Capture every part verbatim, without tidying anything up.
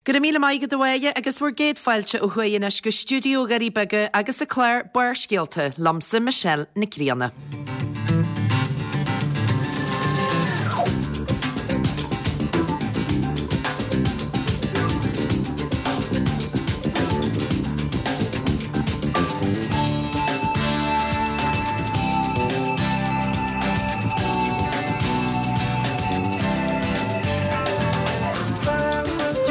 Go raibh míle maith agat a Mháire agus bhur gcéad fáilte ó thuaidh anois go stiúideo Dhoirí Beaga agus an clár Barrscéalta liomsa Michelle Nic Grianna.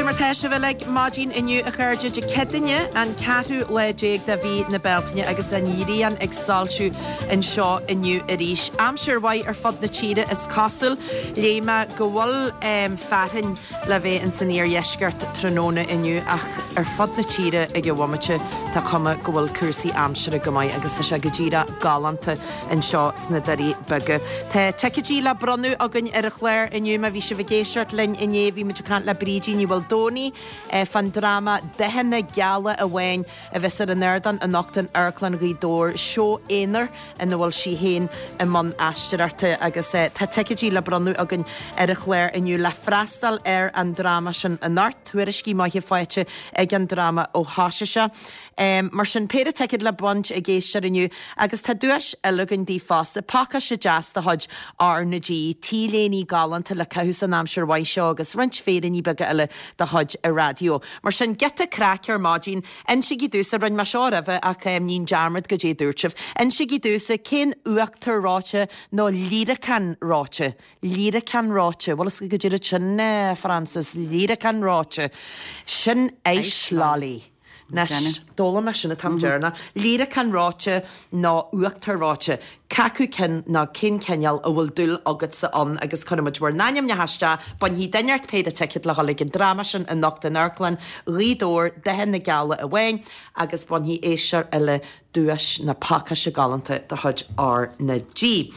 Cad é mar tá sibh uilig maidin inniu a chairde Dé Céadaoine an ceathrú lá déag de mhí na Bealtaine agus an ghrian ag soilsiú anseo inniu arís. Aimsir mhaith ar fud na tíre is cosúil. Léigh mé go bhfuil fearthainn le bheith in san iardheisceart tráthnóna inniu ach ar fud na tíre ag an bhomaite tá cuma go bhfuil cúrsaí aimsire go maith agus tá sé go díreach galánta anseo sna Doirí Beaga. Tá ticéidí le bronnadh againn ar an chlár inniu má bhí sibh ag éisteacht linn inné bhí muid ag caint le Brídín Ní Mhaoldomhnaigh fán dráma Dathanna Geala Amháin a bheas ar an ardán anocht in Amharclann Ghaoth Dobhair, seó aonair ina bhfuil sí féin i mbun aisteoireachta agus tá ticéidí le bronnadh againn ar an chlár inniu le freastal ar an dráma sin anocht. Tuairiscí maithe faighte ag an dráma ó thosaigh sé. Mar sin péire ticéad le baint ag éisteoir inniu agus tá duais eile againn daoibh fosta, pacáiste deas de chuid R na G, T-léiní galánta le caitheamh san aimsir mhaith seo agus roinnt féiríní beaga eile de chuid an raidió. Mar sin giota craic ar maidin, insígí domhsa, rinne mé seo roimhe ach ní dearmad goidé dúirt sibh. Insígí domhsa cén uachtar reoite nó líreacán reoite. Líreacán reoite, bhfuil fhios agat goidé rud sin, Frances, líreacán reoite. Sin ice lolly. Anois, d'fhoghlaim mé sin an t-am deireanach. Líreacán reoite nó uachtar reoite. Cé acu cinn nó cén cineál a bhfuil dúil agatsa ann agus cuirfidh muid bhur n-ainmneacha isteach, bainfidh duine ort péire ticéad le dhul ag an dráma sin anocht in Amharclann Ghaoth Dobhair, Dathanna Geala Amháin, agus bainfidh éisteoir eile duais na pacáiste galánta de chuid R na G.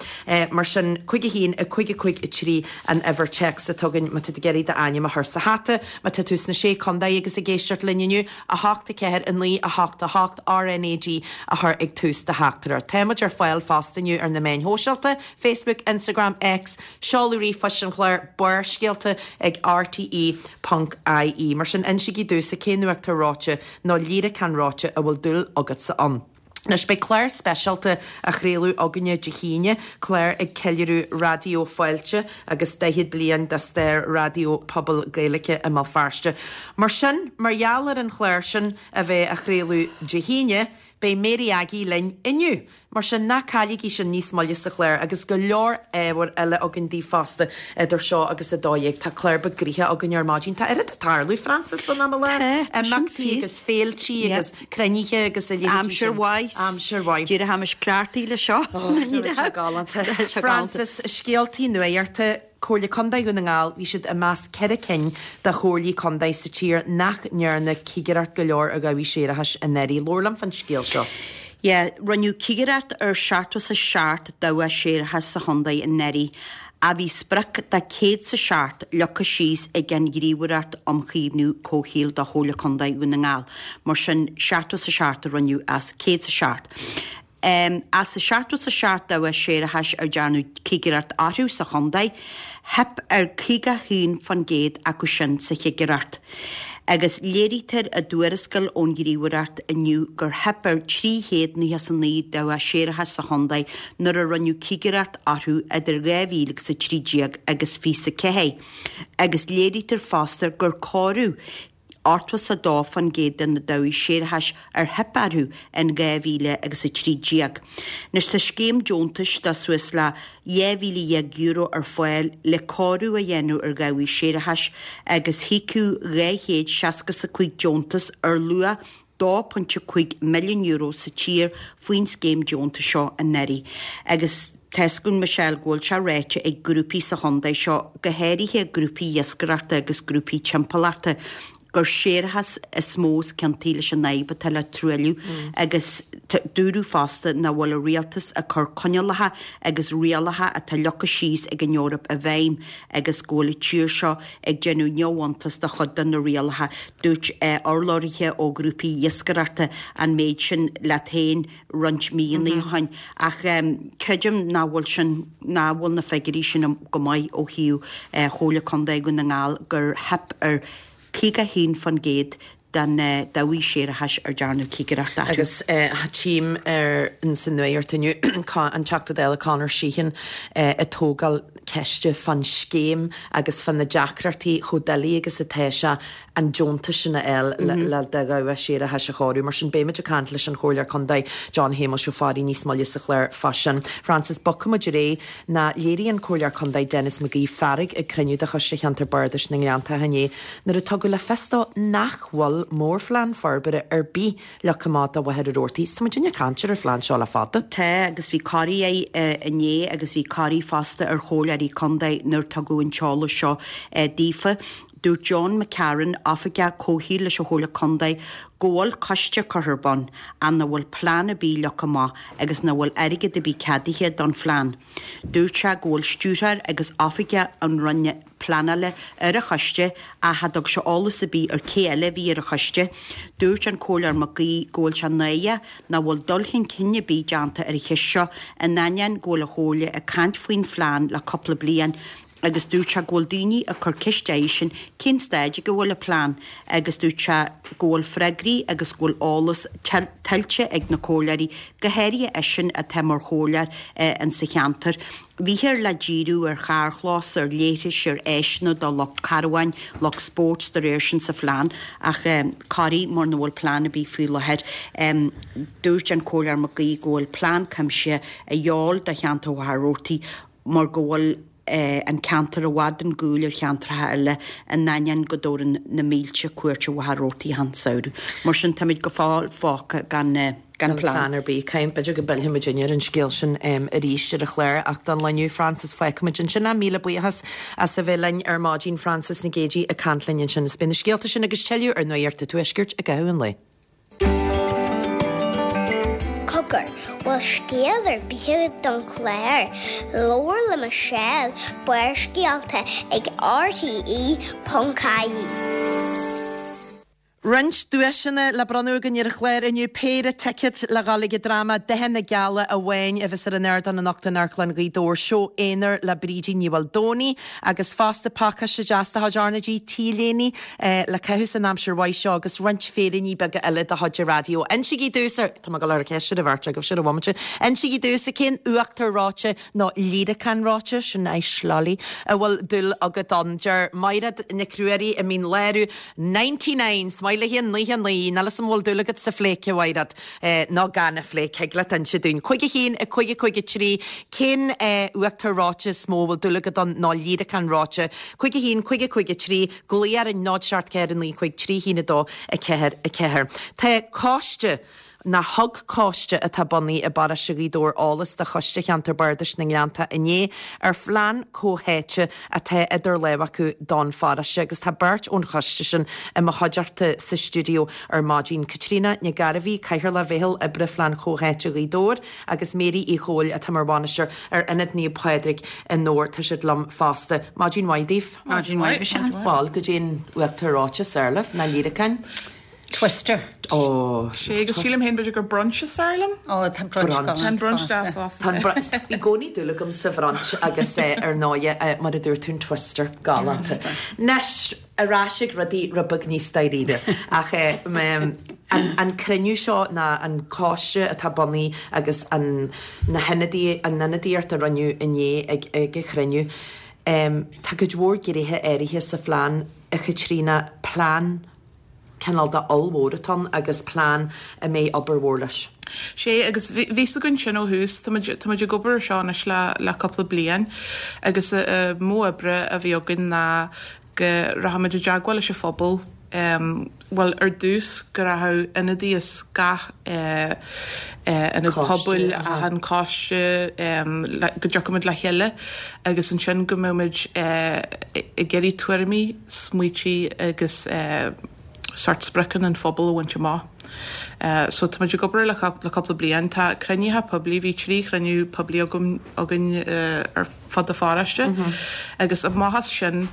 Mar sin, cúig a haon, a cúig a cúig a trí an uimhir téacs atá againn má tá tú ag iarraidh d'ainm a chur sa hata, má tá tú sna Sé Contae agus ag éisteacht linn inniu, a hocht a ceathair a naoi a hocht a hocht R N A G a chur ag tús do theachtaireacht. Tá muid ar fáil fosta inniu ar na meáin shóisialta, Facebook, Instagram, X, seoladh ríomhphoist an chláir, Barrscéalta ag rte ponc ie. Mar sin, insígí domhsa cén uachtar reoite nó líreacán reoite a bhfuil dúil agatsa ann. Anois beidh clár speisialta á chraoladh againne Dé hAoine, clár ag ceiliúradh Raidió Fáilte agus daichead bliain de stair raidió pobail Gaeilge i mBéal Feirste. Mar sin, mar gheall ar an chlár sin a bheith á chraoladh Dé hAoine, beidh Mary Aggie linn inniu. Mar sin, ná cailligí sin níos moille sa chlár agus go leor ábhair eile againn daoibh fosta idir seo agus a dó dhéag. Tá clár beag gnoitheach againn ar maidin. Tá oiread ag tarlú, Frances, san am i láthair. Tá, tá sin Imeachtaí fíor. agus féiltí Yeah. agus cruinnithe agus a leithéidí Aimsir sin. mhaith. Aimsir mhaith. Díreach tháimis cleachtaithe le seo. Oh, tá sé galánta. Tá sé galánta. Frances, scéaltaí nuachta, Comhairle Contae Dhún na nGall, bhí siad i measc ceithre cinn de chomhairlí contae sa tír nach ndearna cigireacht go leor ar dhabhaigh séarachais anuraidh. Labhair liom fán scéal seo. Yeah, rinneadh cigireacht ar seachtó is a seacht dabhach séarachais sa chontae anuraidh, ach bhí sprioc de céad is a seacht leagtha síos ag an Ghníomhaireacht um Chaomhnú Comhshaoil do Chomhairle Contae Dhún na nGall. Mar sin, seachtó is a seacht a rinneadh as céad is a seacht. Um, as a seachtó is a seacht dabhach séarachais ar dearnadh cigireacht orthu sa chontae, theip ar caoga haon faoin gcéad acu sin sa chigireacht. Agus léirítear i dtuarascáil ón Ghníomhaireacht inniu gur theip ar trí chéad nócha is a naoi dabhach séarachais sa chontae nuair a rinneadh cigireacht orthu idir dhá mhíle agus a trí déag agus fiche a ceathair. Agus léirítear fosta gur cóiríodh ochtó is a dó faoin gcéad de na dabhaigh séarachais ar theip orthu in dhá mhíle agus a trí déag. Anois tá scéim deontais de suas le dhá mhíle dhéag euro ar fáil le cóiriú a dhéanamh ar dhabhaigh séarachais agus híocadh dhá chéad seasca is a cúig deontas ar luach dó pointe cúig milliún euro sa tír faoin scéim deontais seo anuraidh. Agus tá 'fhios againn Michelle go bhfuil sé ráite ag grúpaí sa chontae seo, go háirithe grúpaí iascaireachta agus grúpaí timpeallachta, gur séarachas is mó is ciontaí leis an fhadhb atá le truailliú agus dúradh fosta nach bhfuil an rialtas ag cur coinníollacha agus rialacha atá leagtha síos ag an Eoraip i bhfeidhm agus go bhfuil an tír seo ag déanamh neamhiontas de chuid de na rialacha. Dúirt urlabhraithe ó ghrúpaí iascaireachta an méid sin leat féin roinnt míonna ó shin ach creidim nach bhfuil sin nach bhfuil na figiúirí sin go maith ó thaobh Chomhairle Contae Dhún na nGall gur theip ar caoga haon faoin gcéad den dabhaigh séarachais ar dearnadh cigireacht orthu. Agus tchím ar sa nuacht inniu an Teachta Dála Conor Sheehan ag tógáil ceiste fan scéim agus fan na deacrachtaí chomh doiligh agus atá sé an deontas sin a fháil le do dhabhach séarachais a chóiriú. Mar sin beimid ag caint leis an Chomhairleoir Contae John Shéamuis Ó Fearraigh níos moille sa chlár fá sin. Frances, bogfaidh muid ar aghaidh ná léirigh an Comhairleoir Contae Denis McGee fearg ag cruinniú de Choiste Cheantar Bardais na nGleanntach inné nuair a tugadh le fios dó nach bhfuil mórphlean forbartha ar bith leagtha amach do Mhachaire Rabhartaigh. Tá muid ag caint ar an phlean seo le fada. Tá agus bhí corraí air inné agus bhí corraí fosta ar chomhairleoirí contae nuair tugadh an t-eolas seo daofa. Dúirt John McCarron, Oifigeach Comhshaoil leis an Chomhairle Contae, go bhfuil coiste curtha ar bun ach nach bhfuil plean ar bith leagtha amach agus nach bhfuil airgead ar bith ceadaithe don phlean. Dúirt sé go bhfuil stiúrthóir agus oifigeach an Roinne Pleanála ar an choiste ach cha dtug sé eolas ar bith ar cé eile a bhí ar an choiste. Dúirt an Comhairleoir McGee go bhfuil sé náireach nach bhfuil dul chun cinn ar bith déanta ar an cheist seo in ainneoin go bhfuil an Chomhairle ag caint faoin phlean le cúpla bliain agus dúirt sé go bhfuil daoine ag cur ceist eisean cén staid go bhfuil an plean agus dúirt sé go bhfuil freagraí agus go bhfuil eolas tuillte ag na comhairleoirí go háirithe eisean atá mar chomhairleoir in sa cheantar. Bhíthear le díriú ar charrchlós, ar leithris, ar áiseanna do lucht carbháin, lucht spóirt de réir sin sa phlean ach corraí mar nach bhfuil plean ar bith faoi láthair. Dúirt an Comhairleoir McGee go bhfuil plean cuimsithe a dhíobháil do cheantar Mhachaire Rabhartaigh mar go bhfuil an ceantar i bhfad chun cúil ar cheantracha eile in ainneoin go dtabharann na mílte cuairt ar Mhachaire Rabhartaigh an samhradh. Mar sin táimid go fóill fágtha gan gan plean ar bith. Caim b'fhéidir go bpillfidh muid ar an scéal sin arís ar an chlár ach don lá inniu Frances fágfaimid ansin é míle buíochas as a bheith linn ar maidin Frances Nic Géadaigh ag caint linn ansin. Is beidh na scéalta sin agus tuilleadh ar Nuacht an Tuaiscirt i gcaitheamh an lae. Cogar, bhfuil scéal ar bith don chlár, Labhair le Michelle, Barrscéalta ag RTE.ie. Roinnt duaiseanna le bronnadh againn ar an chlár inniu péire ticéad le dhul ag an dráma Dathanna Geala Amháin a bheas ar an ardán anocht in Amharclann Ghaoth Dobhair, seó aonair le Brídín Ní Mhaoldomhnaigh agus fosta pacáiste deas de chuid RnaG T-léine le caitheamh san aimsir mhaith seo agus roinnt féiríní beaga eile de chuid an raidió. Insígí domhsa, tá mé ag dul a chur ceist ar an bheirt agaibh sin i bhomaite, insígí domhsa cén uachtar reoite nó líreacán reoite, sin ice lolly, a bhfuil dúil agat ann. Deir Maighread Nic Ruairí i Mín Lárach, ninety nine, smiley haon naoi naoi, níl 'fhios a'm an bhfuil dúil agat sa phléic, a Mhaighread, nó gan a phléic, thig leat inse dúinn. Cúig a haon, a cúig a cúig a trí, cén uachtar reoite is mó a bhfuil dúil agat ann nó líreacán reoite? Cúig a haon, cúig a cúig a trí, glaoigh orainn náid seacht ceathair a naoi cúig trí haon a dó a ceathair a ceathair. Tá coiste nó thug coiste atá bunaithe i bparóiste Ghaoth Dobhair eolas do Choiste Cheantar Bardais na nGleannta inné ar phlean comhtháite atá idir lámha acu don pharóiste agus tá beirt ón choiste sin i mo chuideachta sa stiúideo ar maidin, Caitríona Nic Gairbhí, Cathaoirleach Mheitheal Oibre Phlean Comhtháite Ghaoth Dobhair agus Mary Uí Chomhaill atá mar bhainisteoir ar Ionad Naomh Pádraig i nDobhar. Tá siad liom fosta. Maidin mhaith daoibh. Maidin mhaith, Michelle. Bhuel, goidé an uachtar reoite is fearr libh, nó líreacáin. Twister. Ó. Sé agus sílim féin b'fhéidir gur brunch is fearr liom. Ó, tá brunch Brunch. Tá brunch deas fosta. Tá an brunch. Bhí i gcónaí dúil agam sa bhrunch agus ar ndóighe mar a dúirt tú an twister galánta. Anois, ar ais ag rudaí rud beag níos dáiríre. Ach an an cruinniú seo ná an coiste atá bunaithe agus an na hionadaí an ionadaíocht a rinneadh inné ag ag an chruinniú, tá cuid mhór gnéithe áirithe sa phlean, a Chaitríona, plean cineál de ollmhór atá ann agus plean a mbeidh obair mhór leis. Sé agus bhí fhios againn sin ó thús, tá muid tá muid ag obair ar seo anois le le cúpla bliain agus modh oibre a bhí againn ná go rachaimid i dteagmháil leis an phobal bhuel ar dtús go rachadh ionadaí as gach ionad pobail, achan coiste go dtiocfaimid le chéile agus ansin go mbeadh muid ag iarraidh tuairimí, smaoití agus sórt spriocanna an phobail a bhaint amach. So tá muid ag obair le le cúpla bliain. Tá cruinnithe poiblí, bhí trí chruinniú poiblí agam againn ar fud an pharóiste agus amach as sin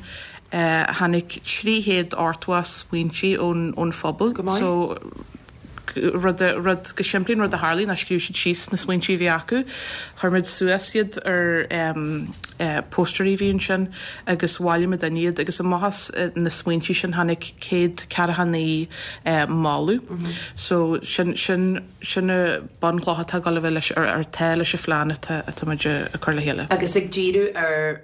tháinig trí chéad ochtó smaointe ón ón phobal. Go maith. So rud rud go simplí rud a tharla ná scríobh siad síos na smaointe a bhí acu, chuir muid suas iad ar um, uh, póstairí bhí ansin agus bhailigh muid iad agus amach as uh, na smaointe sin tháinig céad ceathracha naoi uh, moladh. Mm -hmm. So sin sin sin na bunchlocha atá ag gabháil leis ar ar tá leis an phlean atá atá muid ag cur le chéile. Agus ag díriú ar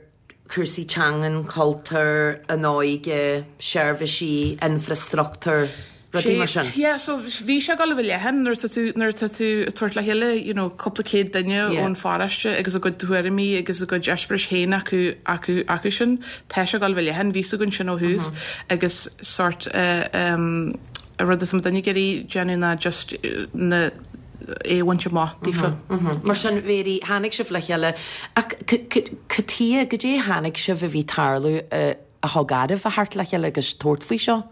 cúrsaí teangan, cultúr, an óige, seirbhísí, infrastruchtúr, rudaí mar sin. Yeah, so bhí sé ag gabháil a bheith leathan nuair atá tú nuair atá tú ag tabhairt le chéile you know, cúpla céad duine Yeah. ón pharóiste agus a gcuid tuairimí agus a gcuid eispéiris féin acu acu acu sin tá sé ag gabháil a bheith leathan bhí a fhios againn sin ó thús agus sort uh, um, a rud is duine gurí déanamh ná just uh, na é bhaint amach daofa. Mar sin bhí tháinig sibh le chéile ach cad chuige go dtí tháinig sibh a bhí tarlú a thug oraibh a theacht le chéile agus tabhairt faoi seo?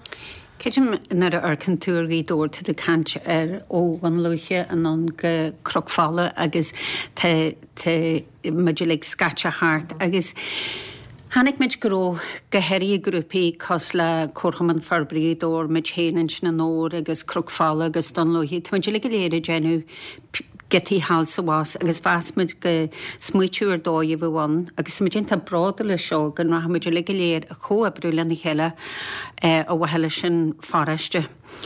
Creidim nuair a amharcann tú ar Ghaoth Dobhair tú ag caint ar ó Dhún Lúiche anonn go Cnoc Fola agus tá tá muid uilig scaite thart agus Tháinig muid go raibh go háirithe grúpaí cosúil le Comharchumann Forbartha Ghaoth Dobhair muid féin ansin anoir agus Cnoc Fola agus Dún Lúiche, Tá muid uilig go léir ag déanamh giotaí thall is abhus agus mheas muid go smaoitiú ar dóigh a bheith ann agus muid iontach bródúil leis seo go rachaidh muid uilig go léir ag comhoibriú lena chéile a mhaithe leis an pharóiste.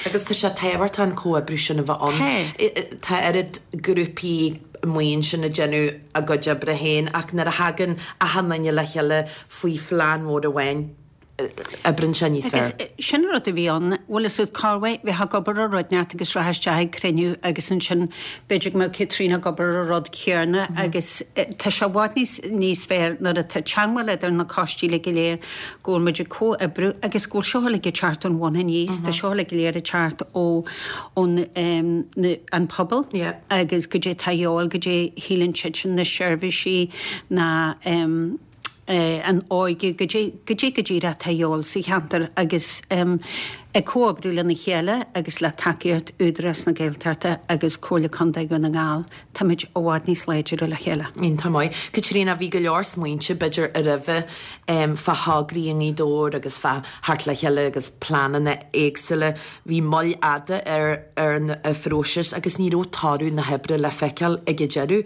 Agus tá sé tábhachtach an comhoibriú sin a bheith ann. Tá oiread grúpaí maoin sin ag déanamh a gcuid oibre féin ach nuair a thagann achan duine le chéile faoi phlean mór amháin oibríonn sé níos Agus fearr. sin rud a bhí ann, bhfuil a fhios agat cá bhfuil bheith ag obair ar rud inteacht agus rá isteach ag cruinniú agus ansin b'fhéidir go mbeadh Caitríona ag obair ar rud céanna agus tá sé i bhfad níos níos fearr nuair atá teagmháil idir na coistí le go léir go bhfuil muid ag comhoibriú agus go bhfuil seo uilig ag teacht ón bhun aníos, tá seo uilig go léir ag teacht ó ón um, na, an pobal Yeah. agus go dté tá eol go dté shíleann siad sin na seirbhísí na um, eh, an óige go dtí go dtí go dtí atá eol sa cheantar agus um, ag comhoibriú lena chéile agus le tacaíocht Údarás na Gaeltachta agus Comhairle Contae Dhún na nGall, Táimid i bhfad níos láidre le chéile. Iontach maith. Caitríona bhí go leor smaointe b'fhéidir a roimhe um, fá thograí i nGaoth Dobhair agus fá theacht le chéile agus pleananna éagsúla. Bhí moill fhada ar ar an phróiseas agus ní raibh toradh na hoibre le feiceáil ag an deireadh.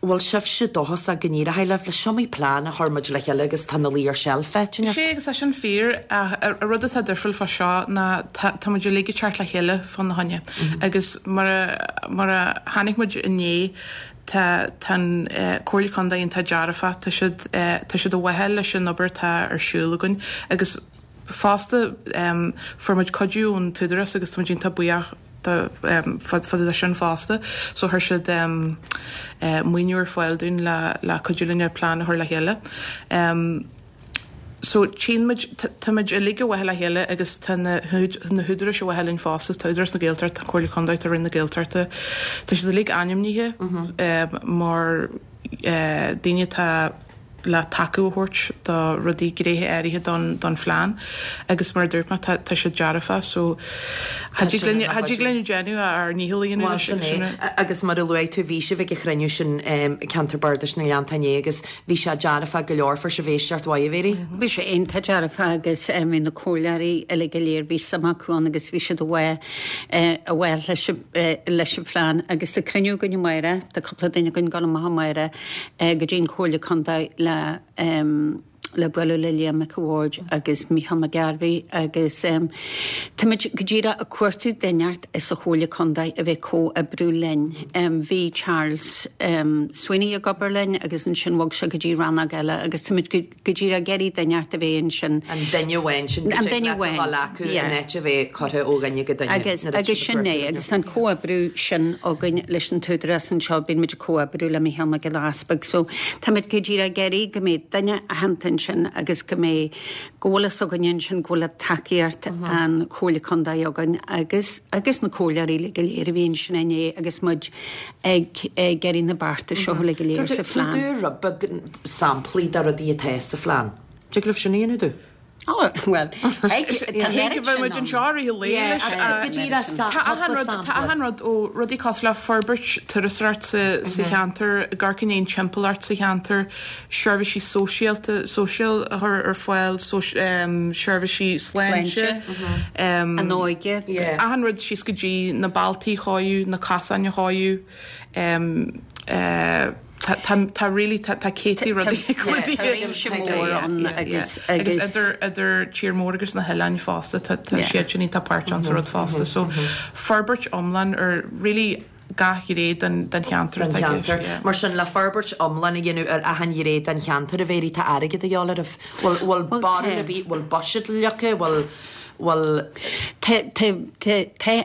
Bhfuil sibhse dóchasach go n-éireoidh libh le seo plean a chuir muid le chéile agus tá na lí ar seilf féitinne. Sé agus é sin fíor a rud atá difriúil fá seo ná tá muid uilig ag teacht le chéile fána choinne. Agus mar a mar a tháinig muid inné tá tá Comhairle Contae iontach dearfach tá siad tá siad a bhfuil leis an obair atá ar siúl againn agus fosta um, fuair muid cuidiú ón t-údarás agus tá muid iontach buíoch fá sin fosta, so chuir siad um, uh, maoiniú ar fáil dúinn le le cuidiú linn plean a chur le chéile. Um, So tchíonn muid tá muid uilig a bhfuil le chéile agus tá na na húdaráis a bhfuil linn fosta tá Údarás na Gaeltachta tá Comhairle Contae tá Roinn na Gaeltachta Tá siad uilig ainmnithe um, mar uh, daoine atá le tacú a thabhairt do rudaí gnéithe áirithe don don phlean agus mar dúirt mé tá tá siad dearfach so Tá sin ina Thig linn déanamh ár ndícheall a dhéanamh Well, leis sin sin é. A- agus mar a luaigh tú bhí sibh ag an chruinniú sin um, ceantar Bardais na nGleannta inné agus bhí sé dearfach go leor fuair sibh éisteacht mhaith bhéirí. Bhí sé iontach dearfach agus um, bhí na comhairleoirí uilig go léir bhí suim acu ann agus bhí siad a bhfuil a bhfuil leis an- leis an phlean agus tá cruinniú againn amárach tá cúpla duine againn ag dul amach amárach go dtí an Chomhairle Contae le um, le bualadh le Liam Mac a' Bhaird agus Micheál Mac Gairbhí agus um, Táimid go díreach ag cuartú duine sa Chomhairle Contae a bheith comhoibriú linn. Um, bhí Charles um, Sweeney ag obair linn agus ansin bhog sé go dtí rannóg eile agus táimid go díreach ag iarraidh duine a bheith ansin. An duine amháin sin An duine amháin, acu yeah. an áit a bheith curtha ó dhuine go duine. Agus nuair atá agus siad sin é ag agus an comhoibriú sin againn leis an t-údarás anseo bíonn muid ag comhoibriú le Micheál Mac Giolla Easpaig, so táimid go díreach ag iarraidh go mbeidh duine aitheanta sin agus go mbeidh go bhfuil fhios againn sin go bhfuil tacaíocht an Chomhairle Contae againn agus agus na comhairleoirí go léir a bhí ansin inné agus muid ag ag iarraidh na bearta seo le go léir sa phlean. Tú rud beag samplaí de rudaí atá sa phlean. Tig libh sin a dhéanamh? Oh, well, Thig go bheadh muid anseo i rith an lae leis. Go díreach Tá achan rud tá achan rud ó rudaí cosúil le forbairt turasóireacht sa sa cheantar, ag amharc i ndiaidh an timpeallacht sa cheantar, seirbhísí sóisialta social a chur ar fáil, seirbhísí sláinte, An óige. Achan rud síos go dtí na bealtaí a chóiriú, na casáin a chóiriú. Tá tá really tá tá céadtaí rudaí clúdaithe. Tá réimse mór ann agus agus idir idir tír mór agus na hoileáin fosta tá tá siad sin iontach páirteach sa rud fosta so forbairt iomlán ar really gach ghné den den cheantar atá i gceist. Mar sin le forbairt iomlán a dhéanamh ar achan ghné den cheantar a Mhéirí tá airgead a dhíobháil oraibh. Bhfuil bhfuil barúil ar bith bhfuil buiséad leagtha bhfuil bhfuil Tá tá tá tá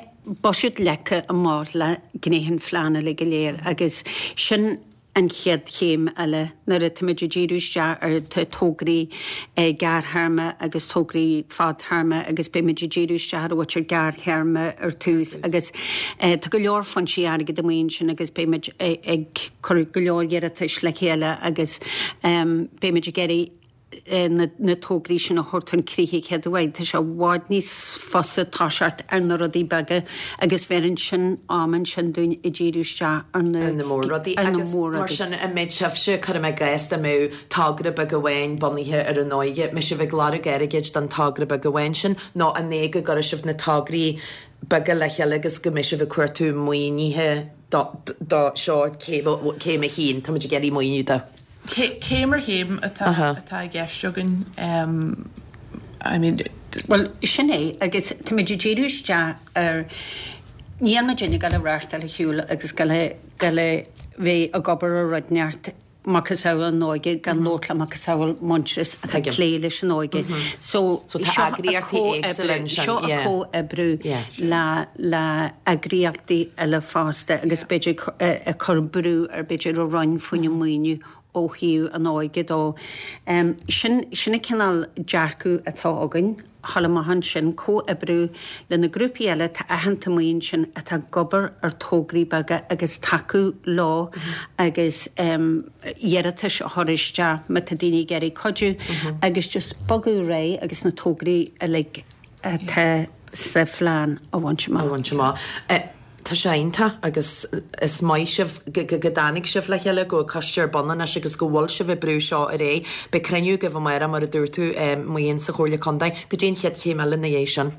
buiséad leagtha amach le gnéithe an phlean uilig go léir agus sin an chéad chéim eile nuair atáimid ag díriú isteach ar tograí gearrthéarma agus tograí fadtéarma agus beimid ag díriú isteach ar an gearrthéarma ar tús agus tá go leor foinsí airgid amuigh ansin agus beimid ag cur go leor iarratais le chéile agus beimid ag iarraidh na tograí sin a thabhairt chun críche chéad uair. Tá sé i bhfad níos fusa toiseacht ar na rudaí beaga agus bheireann sin am ansin dúinn ag díriú isteach ar na ar na mór-rudaí. Agus mar sin, an mbeidh sibhse, cuirim i gcás, dá mbeadh togra beag amháin bunaithe ar an óige, mbeidh sibh ag lorg airgid don togra beag amháin sin nó an é go gcuirfidh sibh na tograí beaga le chéile agus go mbeidh sibh ag cuartú maoinithe do do seo céim a haon, táimid ag iarraidh maoiniú do. Céim ar chéim atá i gceist againn. I mean. Bhuel, sin é, agus táimid ag díriú isteach ar, níl muidinne ag dul a reáchtáil ar shiúl agus dul a bheith ag obair ar rud inteacht macasamhail an óige gan labhairt le macasamhail Muintearas atá ag plé leis an óige. So, seo a comhoibriú le le eagraíochtaí eile fosta agus b'fhéidir ag cur brú ar b'fhéidir an Roinn faoina maoiniú ó thaobh an óige dó. Sin sin an cineál dearcadh atá againn, thall amach ansin, comhoibriú le na grúpaí eile atá aitheanta amuigh ansin atá ag obair ar tograí beaga agus tacú leo agus iarratais a chur isteach má tá daoine ag iarraidh cuidiú agus just bogadh ar aghaidh agus na tograí uilig atá sa phlean a bhaint amach. A bhaint amach. Tá sé iontach agus is maith sibh go dtáinig sibh le chéile, go bhfuil coiste ar bun anois agus go bhfuil sibh ag brú seo ar aghaidh. Beidh cruinniú agaibh amárach mar a dúirt tú, Muin sa Chomhairle Contae. Goidé an chéad chéim eile ina dhiaidh sin?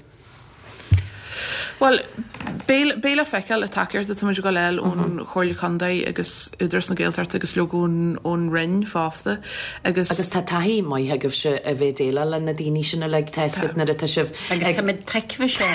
Bhuel, beidh le feiceáil an tacaíocht atá muid ag dul a fháil ón Chomhairle Contae agus Údarás na Gaeltachta agus leoga ón Roinn fosta agus. Agus tá taithí maith agaibhse a bheith ag déileáil le na daoine sin uilig, tá a fhios agat nuair atá sibh ag. Agus táimid tuigthe seo.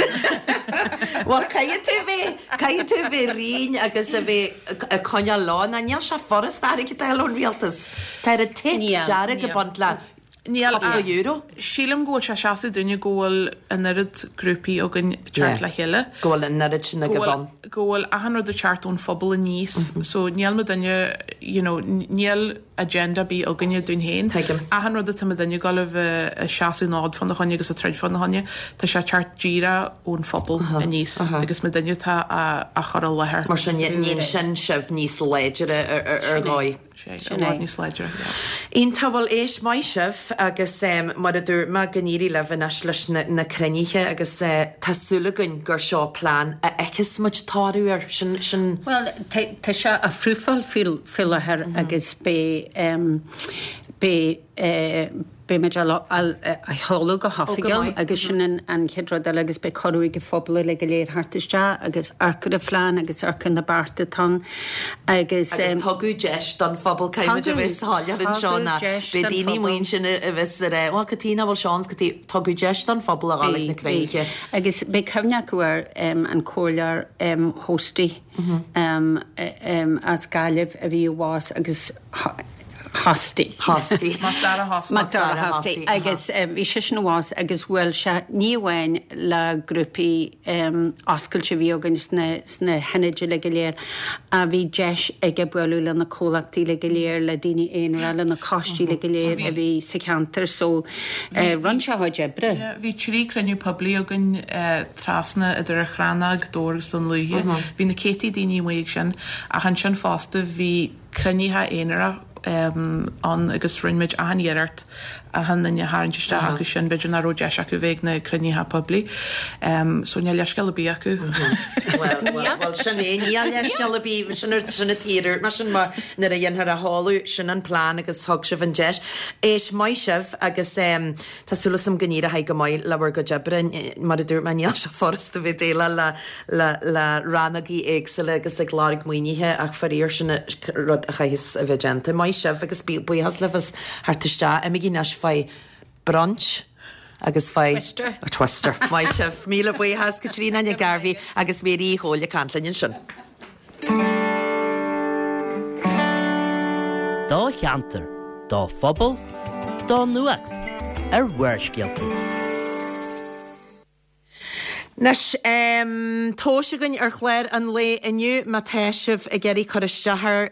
Bhuel, caithfidh tú bheith, caithfidh tú bheith righin agus a bheith ag coinneáil leo, nó níl sé furast airgead a fháil ón rialtas. Tá an tape dearg ag baint le Níl cúpla euro. Sílim go bhfuil sé seasamh dúinne go bhfuil an oiread grúpaí againn ag teacht le chéile. Go bhfuil an oiread sin agaibh ann. Go bhfuil achan rud ag teacht ón phobal aníos. So níl muidinne, you know, níl agenda ar bith againne dúinn féin. Tuigim. Achan rud atá muidinne ag dul a bheith ag seasamh an fhóid fána choinne agus ag troid fána choinne, tá sé ag teacht díreach ón phobal aníos agus muidinne atá á chur i láthair. Mar sin, níonn sin sibh níos láidre ar dhóigh. Sé, i bhfad níos láidre, yeah. Iontach, bhuel éist, maith sibh agus mar a dúirt mé, go n-éirí libh anois leis na cruinnithe agus tá súil againn gur seo plean a fheicfeas muid toradh air, sin, sin. Bhuel, tá sé á phrúfáil faoi láthair agus beidh, beidh, beimid á sheoladh go hoifigiúil agus sin an chéad rud eile agus beidh cuireadh ag an phobal uilig go léir theacht isteach agus amharc ar an phlean agus amharc ar na bearta atá ann agus. Agus tugadh deis don phobal, caithfidh muid a bheith soiléir anseo ná beidh daoine amuigh ansin a bheas ag rá, bhuel cad chuige nach bhfuil seans, cad chuige, tugadh deis don phobal a dhul ag na cruinnithe. Agus beidh cuimhne acu ar an Chomhairleoir Hosty as Gaillimh a bhí i bhfás agus Hosty. Hosty. Mac Dara Hosty. Mac Dara Hosty. Agus bhí seisean i bhfás agus bhuail sé ní amháin le grúpaí oscailte a bhí againn sna sna hionaid uilig go léir ach bhí deis aige bualadh le na comhlachtaí uilig go léir, le daoine aonair, le na coistí uilig go léir a bhí sa cheantar so rinne sé a chuid oibre. Bhí trí cruinniú poiblí againn trasna idir an Chrannóg, Dobhar agus Dún Lúiche. Bhí na céadtaí daoine amuigh ag sin ach ansin fosta bhí cruinnithe aonarach ann agus rinne muid achan iarracht achan duine a tharraingt isteach acu sin b'fhéidir nach raibh deis acu bheith ag na cruinnithe poiblí. So níl leithscéal ar bith acu. Bhuel, bhuel, bhuel, sin é, níl leithscéal ar bith, sin sin an tír, mar sin mar nuair a dhéanfar a tháladh, sin an plean agus thug sibh an deis. Éist, maith sibh agus tá súil agam go n-éireoidh go maith le bhur gcuid oibre, mar a dúirt mé níl sé furasta bheith ag déileáil le le le rannógaí éagsúla agus ag lorg maoinithe ach faraor sin rud a chaithfeas a bheith déanta. Maith sibh agus buíochas libh as theacht isteach. Imígí anois faoi brunch agus faoi Twister. Twister. Maith sibh. Míle buíochas Caitríona Nic Gairbhí agus Mary Uí Chomhaill ag caint linn ansin. Do cheantar, do phobal, do nuacht ar Bharrscéalta. Anois tomhais againn ar chlár an lae inniu má tá sibh ag iarraidh cur isteach air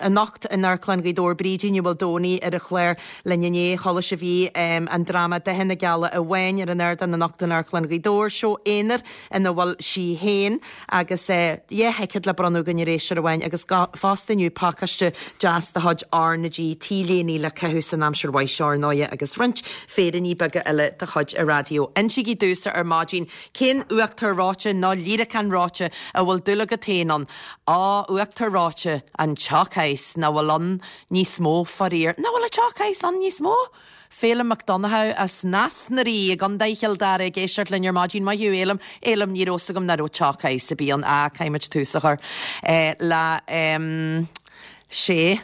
anocht in Amharclann Ghaoth Dobhair Brídín Ní Mhaoldomhnaigh ar an chlár linn inné. Chuala sibh í an dráma Datha na Gealaí Amháin ar an ardán anocht in Amharclann Ghaoth Dobhair, seó aonair ina bhfuil sí féin agus dhá thicéad le bronnadh againn ar éisteoir amháin agus fosta inniu pacáiste deas de chuid R na G T-léine le caitheamh san aimsir mhaith seo ar ndóighe agus roinnt féiríní beaga eile de chuid an raidió. Insígí domhsa ar maidin cén uachtar reoite nó líreacán reoite a bhfuil dúil agat féin ann. Á, uachtar reoite, an Choc Ice, nach bhfuil ann níos mó faraor. Nach bhfuil an Choc Ice ann níos mó? Féilim Mac Donnchadha as Nás na Rí i gContae Chill Dara ag éisteacht linn ar maidin. Maith thú Fhéilim. Fhéilim ní raibh fhios agam nach raibh Choc Ice a bhí ann. Á, caithfimid tús a chur le sé.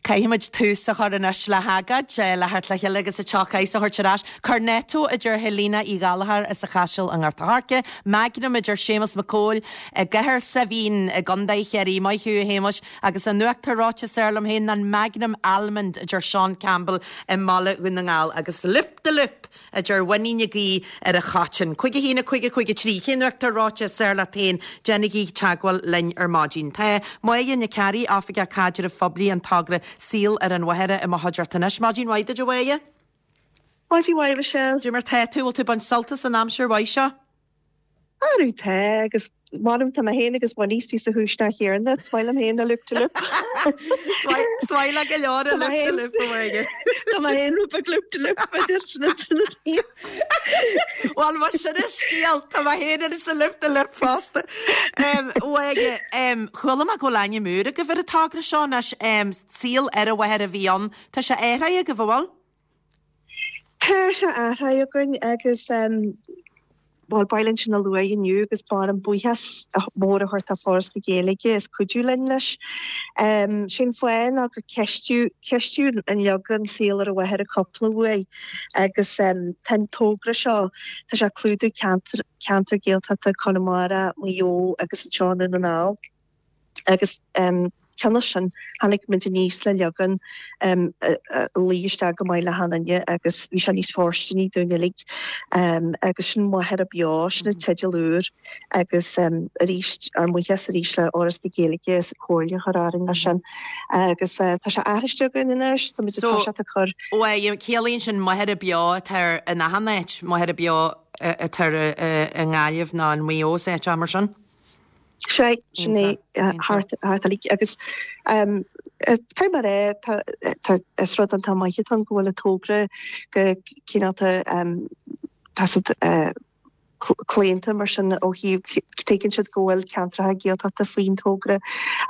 Caithfimid tús a chur anois le hagóid, le theacht le chéile agus an Choc Ice a thabhairt ar ais. Cornetto a deir Helena Uí Ghallchóir as an Chaiseal i nGort a' Choirce, Magnum a deir Séamus Mac Cóil i gCathair Saibhín i gContae Chiarraí. Maith thú, a Shéamuis. Agus an uachtar reoite is fearr liom féin ná an Magnum Almond a deir Seán Campbell i mBaile Dhún na nGall. Agus Loop de Loop a deir Winnie Nic Aoidh ar an Choiteann. Cúig a haon a cúig a cúig a trí. Cén uachtar reoite is fearr leat féin? Déanaigí teagmháil linn ar maidin. Tá Máire Nic Fhearraigh, Oifigeach Caidrimh Phoiblí an Togra Saol ar an Mhachaire i mo chuideachta anois. Maidin mhaith duit, a Mháire. Maidin mhaith, Michelle. Cad é mar tá tú, bhfuil tú ag baint sult as an aimsir mhaith seo? Arú tá agus Madam tá mé féin agus Winnie sa chúis nach chéarna, is maith liom féin a loop de loop. Is maith le go leor a loop de loop a Mháire. Tá mé féin rud beag loop de loop idir sin na taobh. Bhuel mar sin is scéal tá mé féin sa loop de loop fosta. Mháire, chuala mé go bhfuil ainm úr agaibh ar an togra seo anois, Saol ar an Mhachaire a bhí ann. Tá sé athraithe agaibh, an bhfuil? Tá sé athraithe againn agus bhuel, ba mhaith linn sin a lua inniu agus ba mhaith liom buíochas mór a thabhairt do Foras na Gaeilge as cuidiú linn leis. Sé'n fáth ná gur ceistíodh ceistíodh an leagan Saol ar an Mhachaire cúpla uair agus tá an togra seo, tá sé ag clúdú ceantar ceantar Gaeltachta Conamara, Maigh Eo agus anseo i nDún na nGall. Agus cionn is sin, tháinig muid aníos le leagan a luigh isteach go maith le hachan duine agus bhí sé níos fóirsteanaí dúinn uilig. Agus sin Machaire Beo, sin an teideal úr agus arís, ár mbuíochas arís le Fhoras na Gaeilge as an chomhairle a chur orainn leis sin. Agus tá sé aithriste againn anois, tá muid ag toiseacht ag cur. So, ciallaíonn sin Machaire Beo atá ar in achan áit, Machaire Beo atá i nGaillimh nó in Maigh Eo is áit mar sin? Sea, sin é thart uilig agus tá mar é, tá is rud iontach maith atá ann go bhfuil an togra go cineálta tá siad claonta mar sin ó thaobh tuigeann siad go bhfuil ceantracha Gaeltachta faoin togra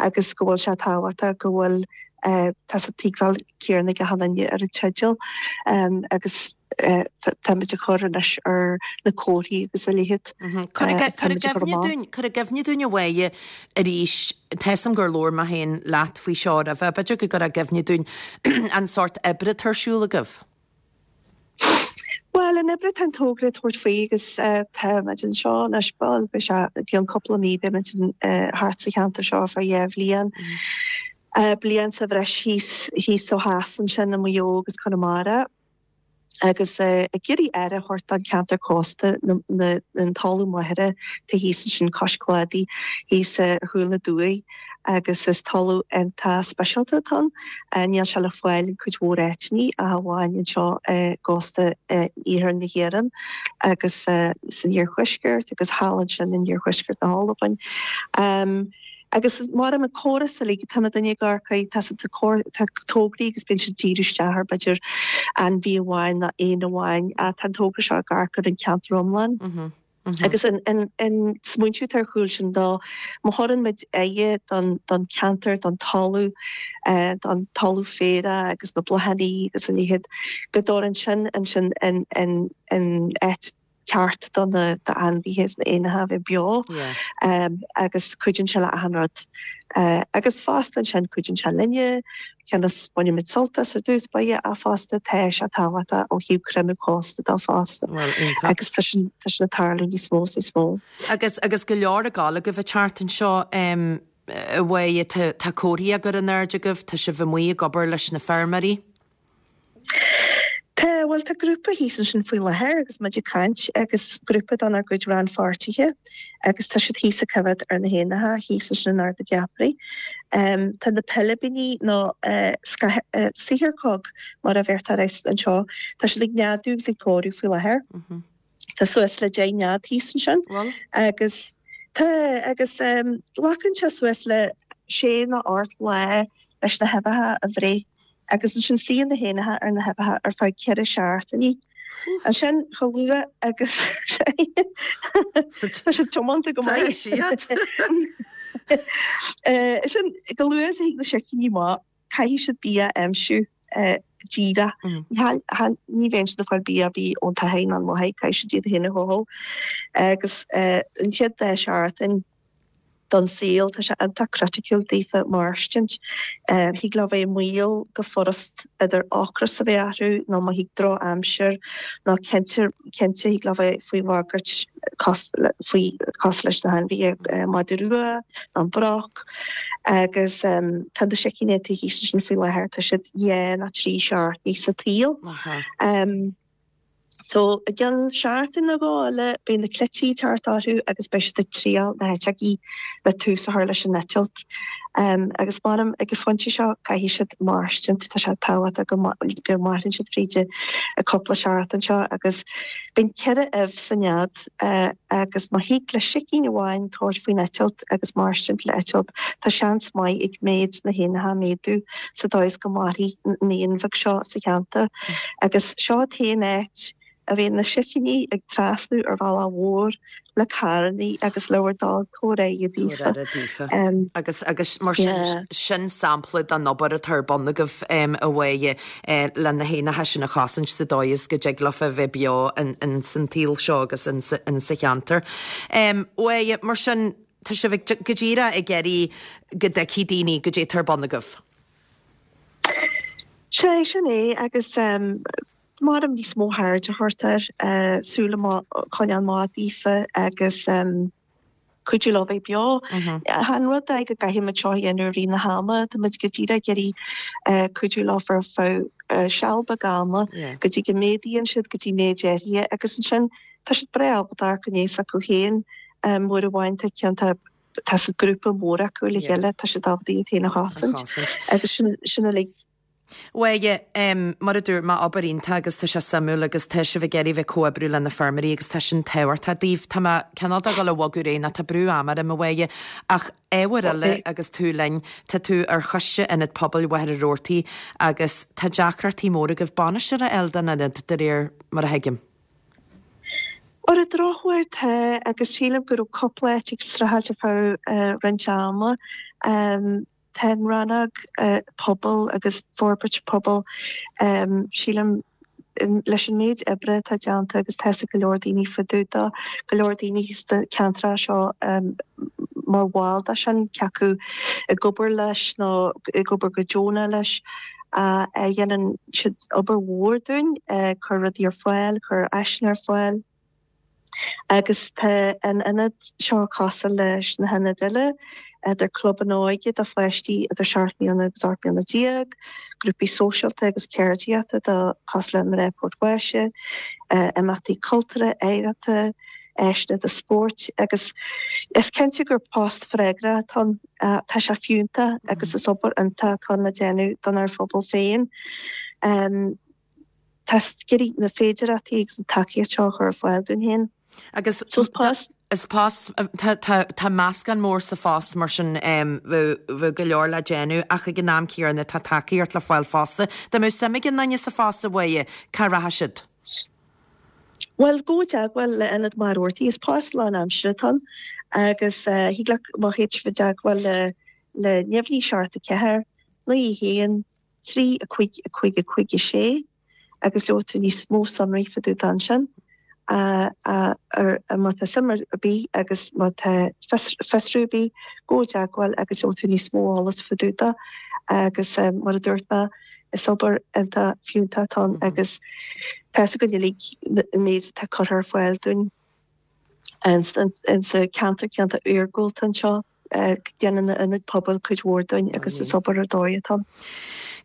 agus go bhfuil sé tábhachtach go bhfuil tá an tuigbheáil céanna ag achan duine ar an teideal agus táimid ag cur anois ar na comharthaí agus a leithéid. Cuir i gcuimhne dúinn a Mháire arís, tá 'fhios a'm gur labhair mé féin leat faoi seo roimhe, b'fhéidir go gcuirfeá i gcuimhne dúinn an sórt oibre atá ar siúl agaibh. Bhuel, an obair atá an togra ag tabhairt faoi agus táimid anseo anois, bhuel, beidh sé i gcionn cúpla mí, beimid thart sa cheantar seo ar feadh dhá bhliain. Bliain sa bhreis thíos, thíos ó theas ansin i Maigh Eo agus Conamara agus ag iarraidh aire a thabhairt don cheantar cósta, na, an talamh machaire atá thíos ansin cois cladaigh, thíos ar chúl na dumhaigh agus is talamh iontach speisialta atá ann. Níl sé le fáil in cuid mhór áiteanna ach amháin anseo i gcósta iarthar na hÉireann agus san iarthuaisceart agus thall ansin in iarthuaisceart na hAlbain. Agus mar an córas uilig tá duine gar tá tá tograí agus bíonn siad díriú isteach ar b'fhéidir ainmhí amháin nó éan amháin tá an togra seo ag amharc ar an ceantar iomlán. Mm -hmm. Mm -hmm. Agus an, an, an smaointiú ar chúl sin dá má thugann muid aire don, don ceantar don talamh uh, don talamh féaraigh agus na bláthanna agus an leithéid go dtabharann sin ansin an, an, an áit ceart don na ainmhithe is na éanacha bheith beo um, agus cuidíonn sé le achan rud. Uh, agus fosta ansin cuidíonn sé linne, ceannas bainimid sult as ar dtús báire a fosta tá sé tábhachtach ó thaobh creimeadh cósta dá fosta. Well, agus tá sin ag tarlú níos mó níos mó. Agus agus go leor ag gabháil agaibh an tseachtain seo um, bhuel tá comharthaí á gcur in airde agaibh, tá sibh amuigh ag obair leis na feirmeoirí. Tá bhuel tá grúpa thíos ansin faoi láthair agus muid ag caint agus grúpa den ár gcuid rannpháirtithe agus tá siad thíos ag coimhéad ar na héanacha thíos ansin in Ard na gCeapairí. Um, tá na pilibíní nó uh, uh, saotharcóg mar a bheirtear anseo, tá siad ag neadú agus ag pórú faoi láthair. Mm -hmm. Tá suas le deich nead thíos ansin well. agus tá agus um, glacann sé suas le sé nó ocht lá leis na huibheacha a bhreith agus ansin suíonn na héanacha ar na huibheacha ar feadh ceithre seachtainí. Ansin chomh luath agus tá sé tiomanta go maith. Sin go luath a thig na sicíní amach caithfidh siad bia a aimsiú díreach. Ní bheidh siad ag fáil bia ar bith ón tathain an mhaith caithfidh siad iad féin a chothú. Agus an chéad dá seachtain don saol tá sé iontach criticiúil daofa mairstinint. Thig leo bheith i mbaol go furast idir ocras a bheith orthu nó má thig drochaimsir nó cinnte cinnte thig leo bheith faoi bhagairt faoi cosúil leis na hainmhithe madadh rua nó an broc agus tá na sicíní atá thíos ansin faoi láthair tá siad dhá nó trí seachtainí sa tsaol. So i gceann seachtain nó dhó eile beidh na cleití thart orthu agus beidh siad ag triail na heiteogaí le tús a chur leis an eitilt. Um, agus measaim ag an phointe seo caithfidh siad mairstint tá sé tábhachtach go go maireann siad fríd an cúpla seachtain seo agus bíonn ceithre ubh sa nead uh, agus má thig le sicín amháin tabhairt faoin eitilt agus mairstint le eitilt tá seans maith ag méid na héanacha méadú sa dóigh is go mairfidh an éan bheag seo sa cheantar agus seo an t-aon áit a bhíonn na sicíní ag trasnú ar bhealach mhór le carrannaí agus le bhur dtoil tabhair aire daofa. Um, agus agus mar sin sin sampla den obair atá ar bun agaibh um, a bhuel eh, le na héanacha sin a chosaint sa dóigh is go dtig leofa bheith beo in, in san tsaol seo agus in, in sa cheantar. Um, bhuel mar sin tá sibh go díreach ag iarraidh go dtuigfidh daoine goidé atá ar bun agaibh. Sé sin é agus um, mar níos mó aird a thabhairt air uh, súil coinneáil amach daofa agus um, cuidiú leo bheith beo. Mhm. An rud é go gcaithfimid seo a dhéanamh i rith na hama, Tá muid go díreach ag iarraidh uh, cuidiú leo ar feadh uh, seal beag ama Yeah. go dtí go méadaíonn siad go dtí méid áirithe agus ansin tá siad breá ábalta go n acu féin um, uair amháin tá ceann tá tá sa grúpa mór acu le Yeah. chéile tá siad ábalta iad féin a chosaint chosaint. agus sin sin uilig Bhuel um, mar a dúirt mé obair iontach agus tá sé suimiúil agus tá sibh ag iarraidh bheith comhoibriú le na feirmeoirí agus tá sin tábhachtach daoibh Tá mé cineál ag dul a bhogadh ar aghaidh ná tá brú ama orm a bhuel ach ábhar eile agus tú linn tá tú ar choiste ionad pobail Mhachaire Rabhartaigh agus tá deacrachtaí móra agaibh bainisteoir a fháil don ionad de réir mar a thuigim. Ar an drochuair tá agus sílim go raibh cúpla áit ag streachailt ar feadh uh, roinnt ama. Um, tá an rannóg uh, pobal agus forbairt pobal um, sílim in- leis an méid oibre atá déanta agus tá go leor daoine faoi dtaobh go leor daoine sna ceantracha seo um, mar bhall de sin cé acu ag obair leis nó ag obair go deonach leis a a dhéanann siad obair mhór dúinn uh, chur rudaí ar fáil, chur áiseanna ar fáil. Agus tá an ionad seo cosúil leis na hionaid eile, idir clubanna óige do pháistí idir seacht mbliana agus ocht mbliana déag, grúpaí sóisialta agus ceardaíochta do cosúil le Mná Port Báise, uh, imeachtaí cultúrtha, oidhreachta, áiseanna do spóirt agus is cinnte gur post freagrach atá ann, uh, tá sé fiúntach agus is obair iontach atá le déanamh don ár phobal féin. Um, Tá ag iarraidh na féidearthachtaí agus an tacaíocht seo a chur ar fáil dúinn féin. Agus So is post Is post, tá, tá, tá meascán mór sa phost mar sin bheadh, bheadh go leor le déanamh ach ag an am céanna tá tacaíocht le fáil fosta. Dá mbeadh suim ag aon duine sa phost a Mháire, cá rachadh siad? Bhuel, gabh i dteagmháil le Ionad Mhachaire Rabhartaigh, is post lánaimseartha atá ann agus thig leat má théid sibh i dteagmháil le le naoi naoi seacht a ceathair, naoi a haon, trí a cúig a cúig a cúig a sé agus gheobhaidh tú níos mó sonraí fá dtaobh de ansin. Má tá suim ar bith agus má tá fiosrú ar bith, gabh i dteagmháil agus gheobhaidh tú níos mó eolas fá dtaobh de agus mar a dúirt mé, is obair iontach fiúntach atá ann agus tá fhios againn uilig an méid atá curtha ar fáil dúinn insa ceantar, ceantar iargúlta anseo. Déanann na ionaid pobail cuid mhór dúinn agus is obair ar dóigh atá ann.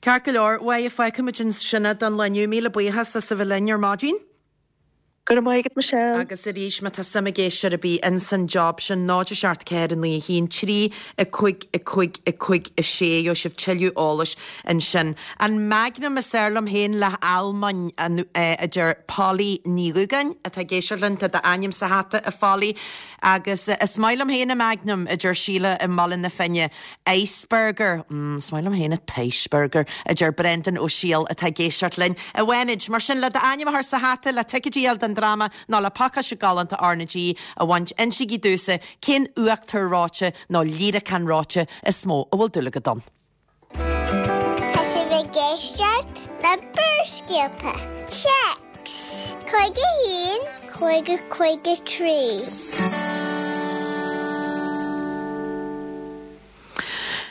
Ceart go leor, a Mháire, fágfaimid ansin é don lá inniu. Míle buíochas as a bheith linn ar maidin. Go raibh maith agat Michelle. Agus arís má tá suim ag éisteoir ar bith ins an job sin, náid a seacht ceathair a naoi a haon trí a cúig a cúig a cúig a sé, gheobhaidh sibh tuilleadh eolais ansin. An Magnum is fearr liom féin le halmainn, a deir Polly Ní Dhúgáin atá ag éisteacht linn, tá d'ainm sa hata a Pholly. Agus is maith liom féin an Magnum, a deir Síle i mBaile na Finne. Iceburger, mm, is maith liom féin an t-iceburger, a deir Brendan Ó Siail atá ag éisteacht linn. A Bhánid, mar sin, le d'ainm a chur sa hata, le ticéidí a fháil don dráma nó le pacáiste galánta RnaG a bhaint, insígí domhsa cén uachtar reoite nó líreacán reoite is mó a bhfuil dúil agat ann. Tá sibh ag éisteacht le Barrscéalta. Téacs cúig a haon, cúig a cúig a trí.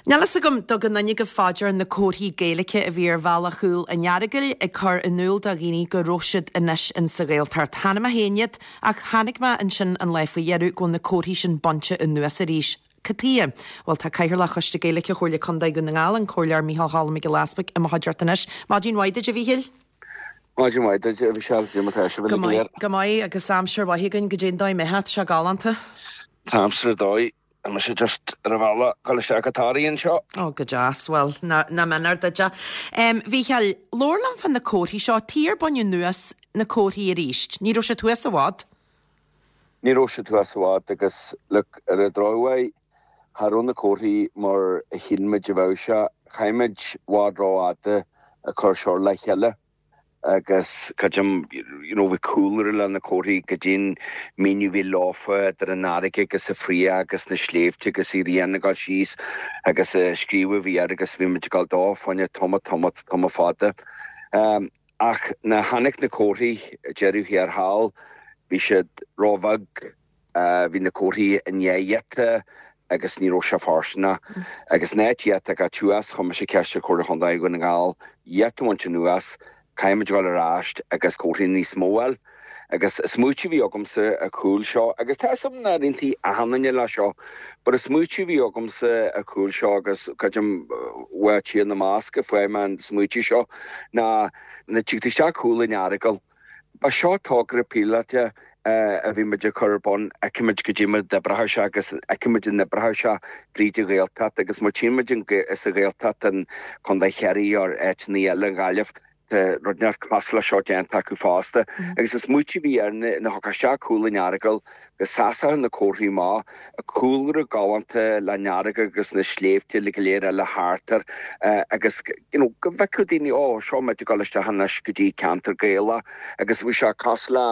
Níl fhios agam an dtugann éinne agaibh fá dear na comharthaí Gaeilge a bhí ar bhealach Chúil an Earagail ag cur in iúl do dhaoine go raibh siad anois in sa Ghaeltacht. Chonaic mé féin iad ach chonaic mé ansin an lá faoi dheireadh go bhfuil na comharthaí sin bainte anuas arís. Cad tuighe? Bhuel, tá Cathaoirleach Choiste Gaeilge Chomhairle Contae Dhún na nGall, an Comhairleoir Micheál Cholm Mac Giolla Easbuig, i mo chuideachta anois. Maidin mhaith duit, a Mhíchíl. Maidin mhaith duit, a Mhichelle. Cad é mar atá sibh Go uilig go maith, léir? go maith, agus aimsir mhaith againn, goidé an dóigh mbeadh, tá sé galánta. Tá aimsir ar dóigh. Tá mise just ar an bhealach ag dul isteach go Toraigh anseo. Ó, go deas. Bhuel, nach méanar duit é. Mhíchíl, labhair liom fá na comharthaí seo. Tuige ar baineadh anuas na comharthaí arís. Ní raibh siad thuas i bhfad. Ní raibh siad thuas i bhfad agus look, ar an drochuair, cha raibh na comharthaí mar a shíl muid a bheadh sé. Chaith muid i bhfad rófhada ag cur seo le chéile agus creidim, you know, bhí cúlra le na comharthaí goidé an míniú a bhí leofa idir an fharraige agus an fraoch agus na sléibhte agus an ghrian ag dul síos agus an scríobh a bhí air agus bhí muid ag dul dó fá choinne tamall tamall tamall fada. Ach nuair a tháinig na comharthaí deireadh thiar thall, bhí siad róbheag, bhí na comharthaí i ndiaidh iata agus ní raibh sé fóirsteanach. Agus in áit iad a fhágáil thuas, chuir mise ceist ar Chomhairle Chontae Dhún na nGall iad a bhaint anuas, caithfidh muid a dhul ar ais agus comharthaí níos mó a fháil. Agus an smaoitiú a bhí agamsa ar chúl seo, agus tá 'fhios a'm nár aontaigh achan duine leis seo, but an smaoitiú a bhí agamsa ar chúl seo agus creidim uaidh Tír na mBasc a fuair mé an smaoitiú seo, ná nuair a tig tú isteach Cúil an Earagail, ba seo togra píolóta a bhí muid ag cur ar bun, fheicfimid goidé mar a d'oibreoidh sé agus fheicfimid an oibreoidh sé fríd an Ghaeltacht agus má tchíonn muid sa Ghaeltacht in Contae Chiarraí or áiteanna eile, an Ghaillimh, Tá rud inteacht cosúil leis seo déanta acu fosta. Agus an smaoitiú a bhí air nuair a thiocfá isteach Cúl an Earagail go seasfadh na comharthaí amach, an cúlra galánta leis an fharraige agus na sléibhte uilig go léir eile thart air agus you know go bhfeicfeadh daoine ó seo muid ag dul isteach anois go dtí ceantar Gaelach agus bhí sé cosúil le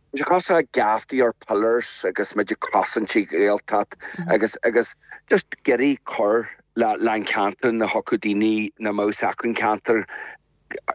bhí sé cosúil le geaftaí or pillars agus muid ag cosaint an Ghaeltacht agus agus just ag iarraidh cur le le an ceantar nuair a thiocfadh daoine nach mbeadh 'fhios acu an ceantar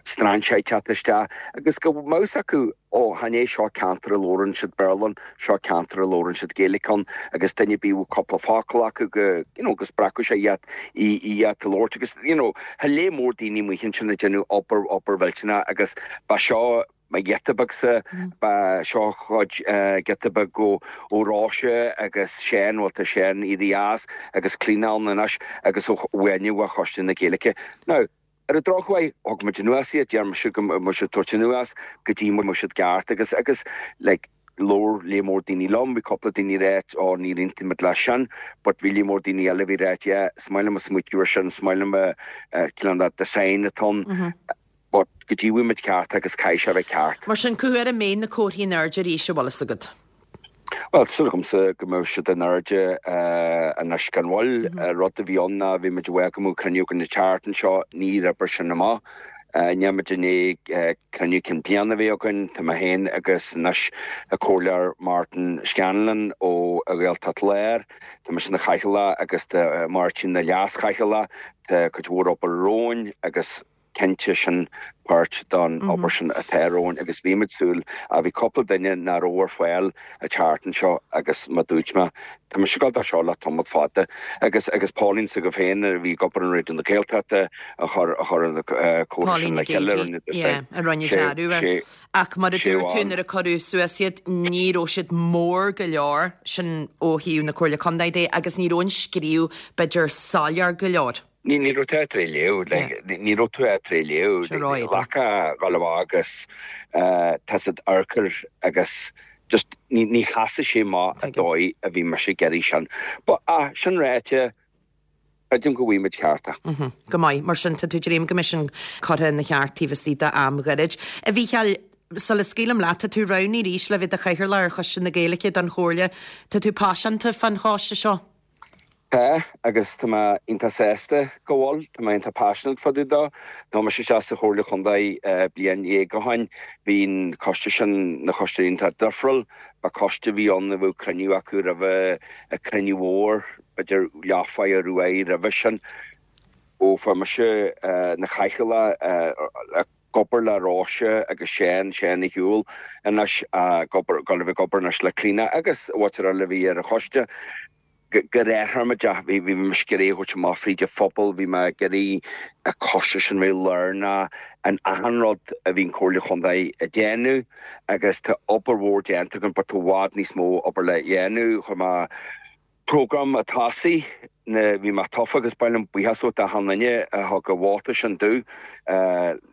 strainséir teacht isteach agus go mbeadh 'fhios acu, ó, chan é seo ceantar a labhrann siad Béarla ann, seo ceantar a labhrann siad Gaeilge ann agus duine ar bith a bhfuil cúpla focal acu go, you know, go spreagfadh sé iad, iad a labhairt agus, you know, tá lear mór daoine amuigh ansin ag déanamh obair, obair mhillteanach agus ba seo mo ghiota beagsa, ba seo chuid, giota beag ó, ó Róise agus Seán, bhuel tá Seán éirithe as agus Clíona ann anois agus ó Mháine ó Choiste na Gaeilge. Now, Ar an drochuair, thug muid anuas iad, deir mise go mbeadh siad tabhairt anuas go dtí go mbeadh siad ceart agus, agus like, labhair lear mór daoine liom, bhí cúpla daoine ag ráit oh ní aontaímid leis sin but bhí lear mór daoine eile a bhí ag ráit yeah, is maith liom an smaoitiú ar sin, is maith liom an cineál that design atá ann but go dtí go bhfaighidh muid ceart agus caithfidh sé a bheith ceart. Mar sin, cá huair a mbeidh na comharthaí in airde arís, an bhfuil fhios agat? Bhuel, tá súil agamsa go mbeidh siad in airde anois gan mhoill. Rud a bhí ann ná bhí muid uaidh go mbeadh cruinniú againn an tseachtain seo, níor oibrigh sin amach. Níl muid i ndiaidh cruinniú cinn bliana a bheith againn, tá mé féin agus anois an Comhairleoir Martin Scanlon ó Ghaeltacht Láir, tá mise ina chathaoirleach agus tá Máirtín ina leas-chathaoirleach, tá cuid mhór obair romhainn agus cinnte sin páirt don obair sin atá romhainn agus bhí muid súil ach bhí cúpla duine nach raibh ar fáil an tseachtain seo agus mar dúirt mé tá mise ag gabháil dó seo le tamall fada agus agus Pauline s'agaibh féin a bhí ag obair in Raidió na Gaeltachta a chur a chur an comhrá sin Pauline le chéile Gaidí, yeah, a rinne dearadh air. Ach mar a dúirt tú nuair a cuireadh suas iad ní raibh siad mór go leor, sin ó thaobh na Comhairle Contae de, agus ní raibh an scríobh b'fhéidir soiléir go leor. Ní ní raibh tú ábalta é a léamh, like, ní raibh tú ábalta é a léamh, Sure, right. Ghlacfá dhul amach agus tá siad urchar agus just ní ní sheasadh sé amach an dóigh a bhí mise ag iarraidh sin. But ah, sin ráite, creidim go bhfuil muid ceart. Mhm. Go maith, mar sin tá tú dréim go mbeidh sin curtha ina cheart taobh istigh d'am ghairid. A Mhícheáil, sula scaoilim leat, tá tú roghnaithe arís le bheith i do chathaoirleach ar Choiste na Gaeilge don Chomhairle. Tá tú paiseanta fán choiste seo? Tá, agus tá mé iontach sásta go bhfuil, tá mé iontach passionate fá dtaobh dó. Tá mise isteach sa Chomhairle Chontae bliain dhéag ó shin, bhí an coiste sin, na coistí iontach difriúil, ba coiste a bhí ann a bheadh cruinniú acu roimhe an cruinniú mhór, b'fhéidir leathuair ar uair roimhe sin. Ó fuair mise na chathaoirleach ag obair le Róise agus Seán, Seán Uí Shiúil anois, ag obair, ag obair anois le Clíona agus mhuintir eile a bhí ar an choiste. Go raibh bhí bhí mise ag iarraidh a thabhairt amach fríd an phobal, bhí mé ag iarraidh an coiste sin bheith lárnach in achan rud a bhí an Comhairle Chontae ag déanamh agus tá obair mhór déanta againn but tá i bhfad níos mó obair le dhéanamh. Chuir mé program a tosaigh na bhí mé tofa agus ba mhaith liom buíochas a thabhairt d'achan duine a thug a vóta sin domh.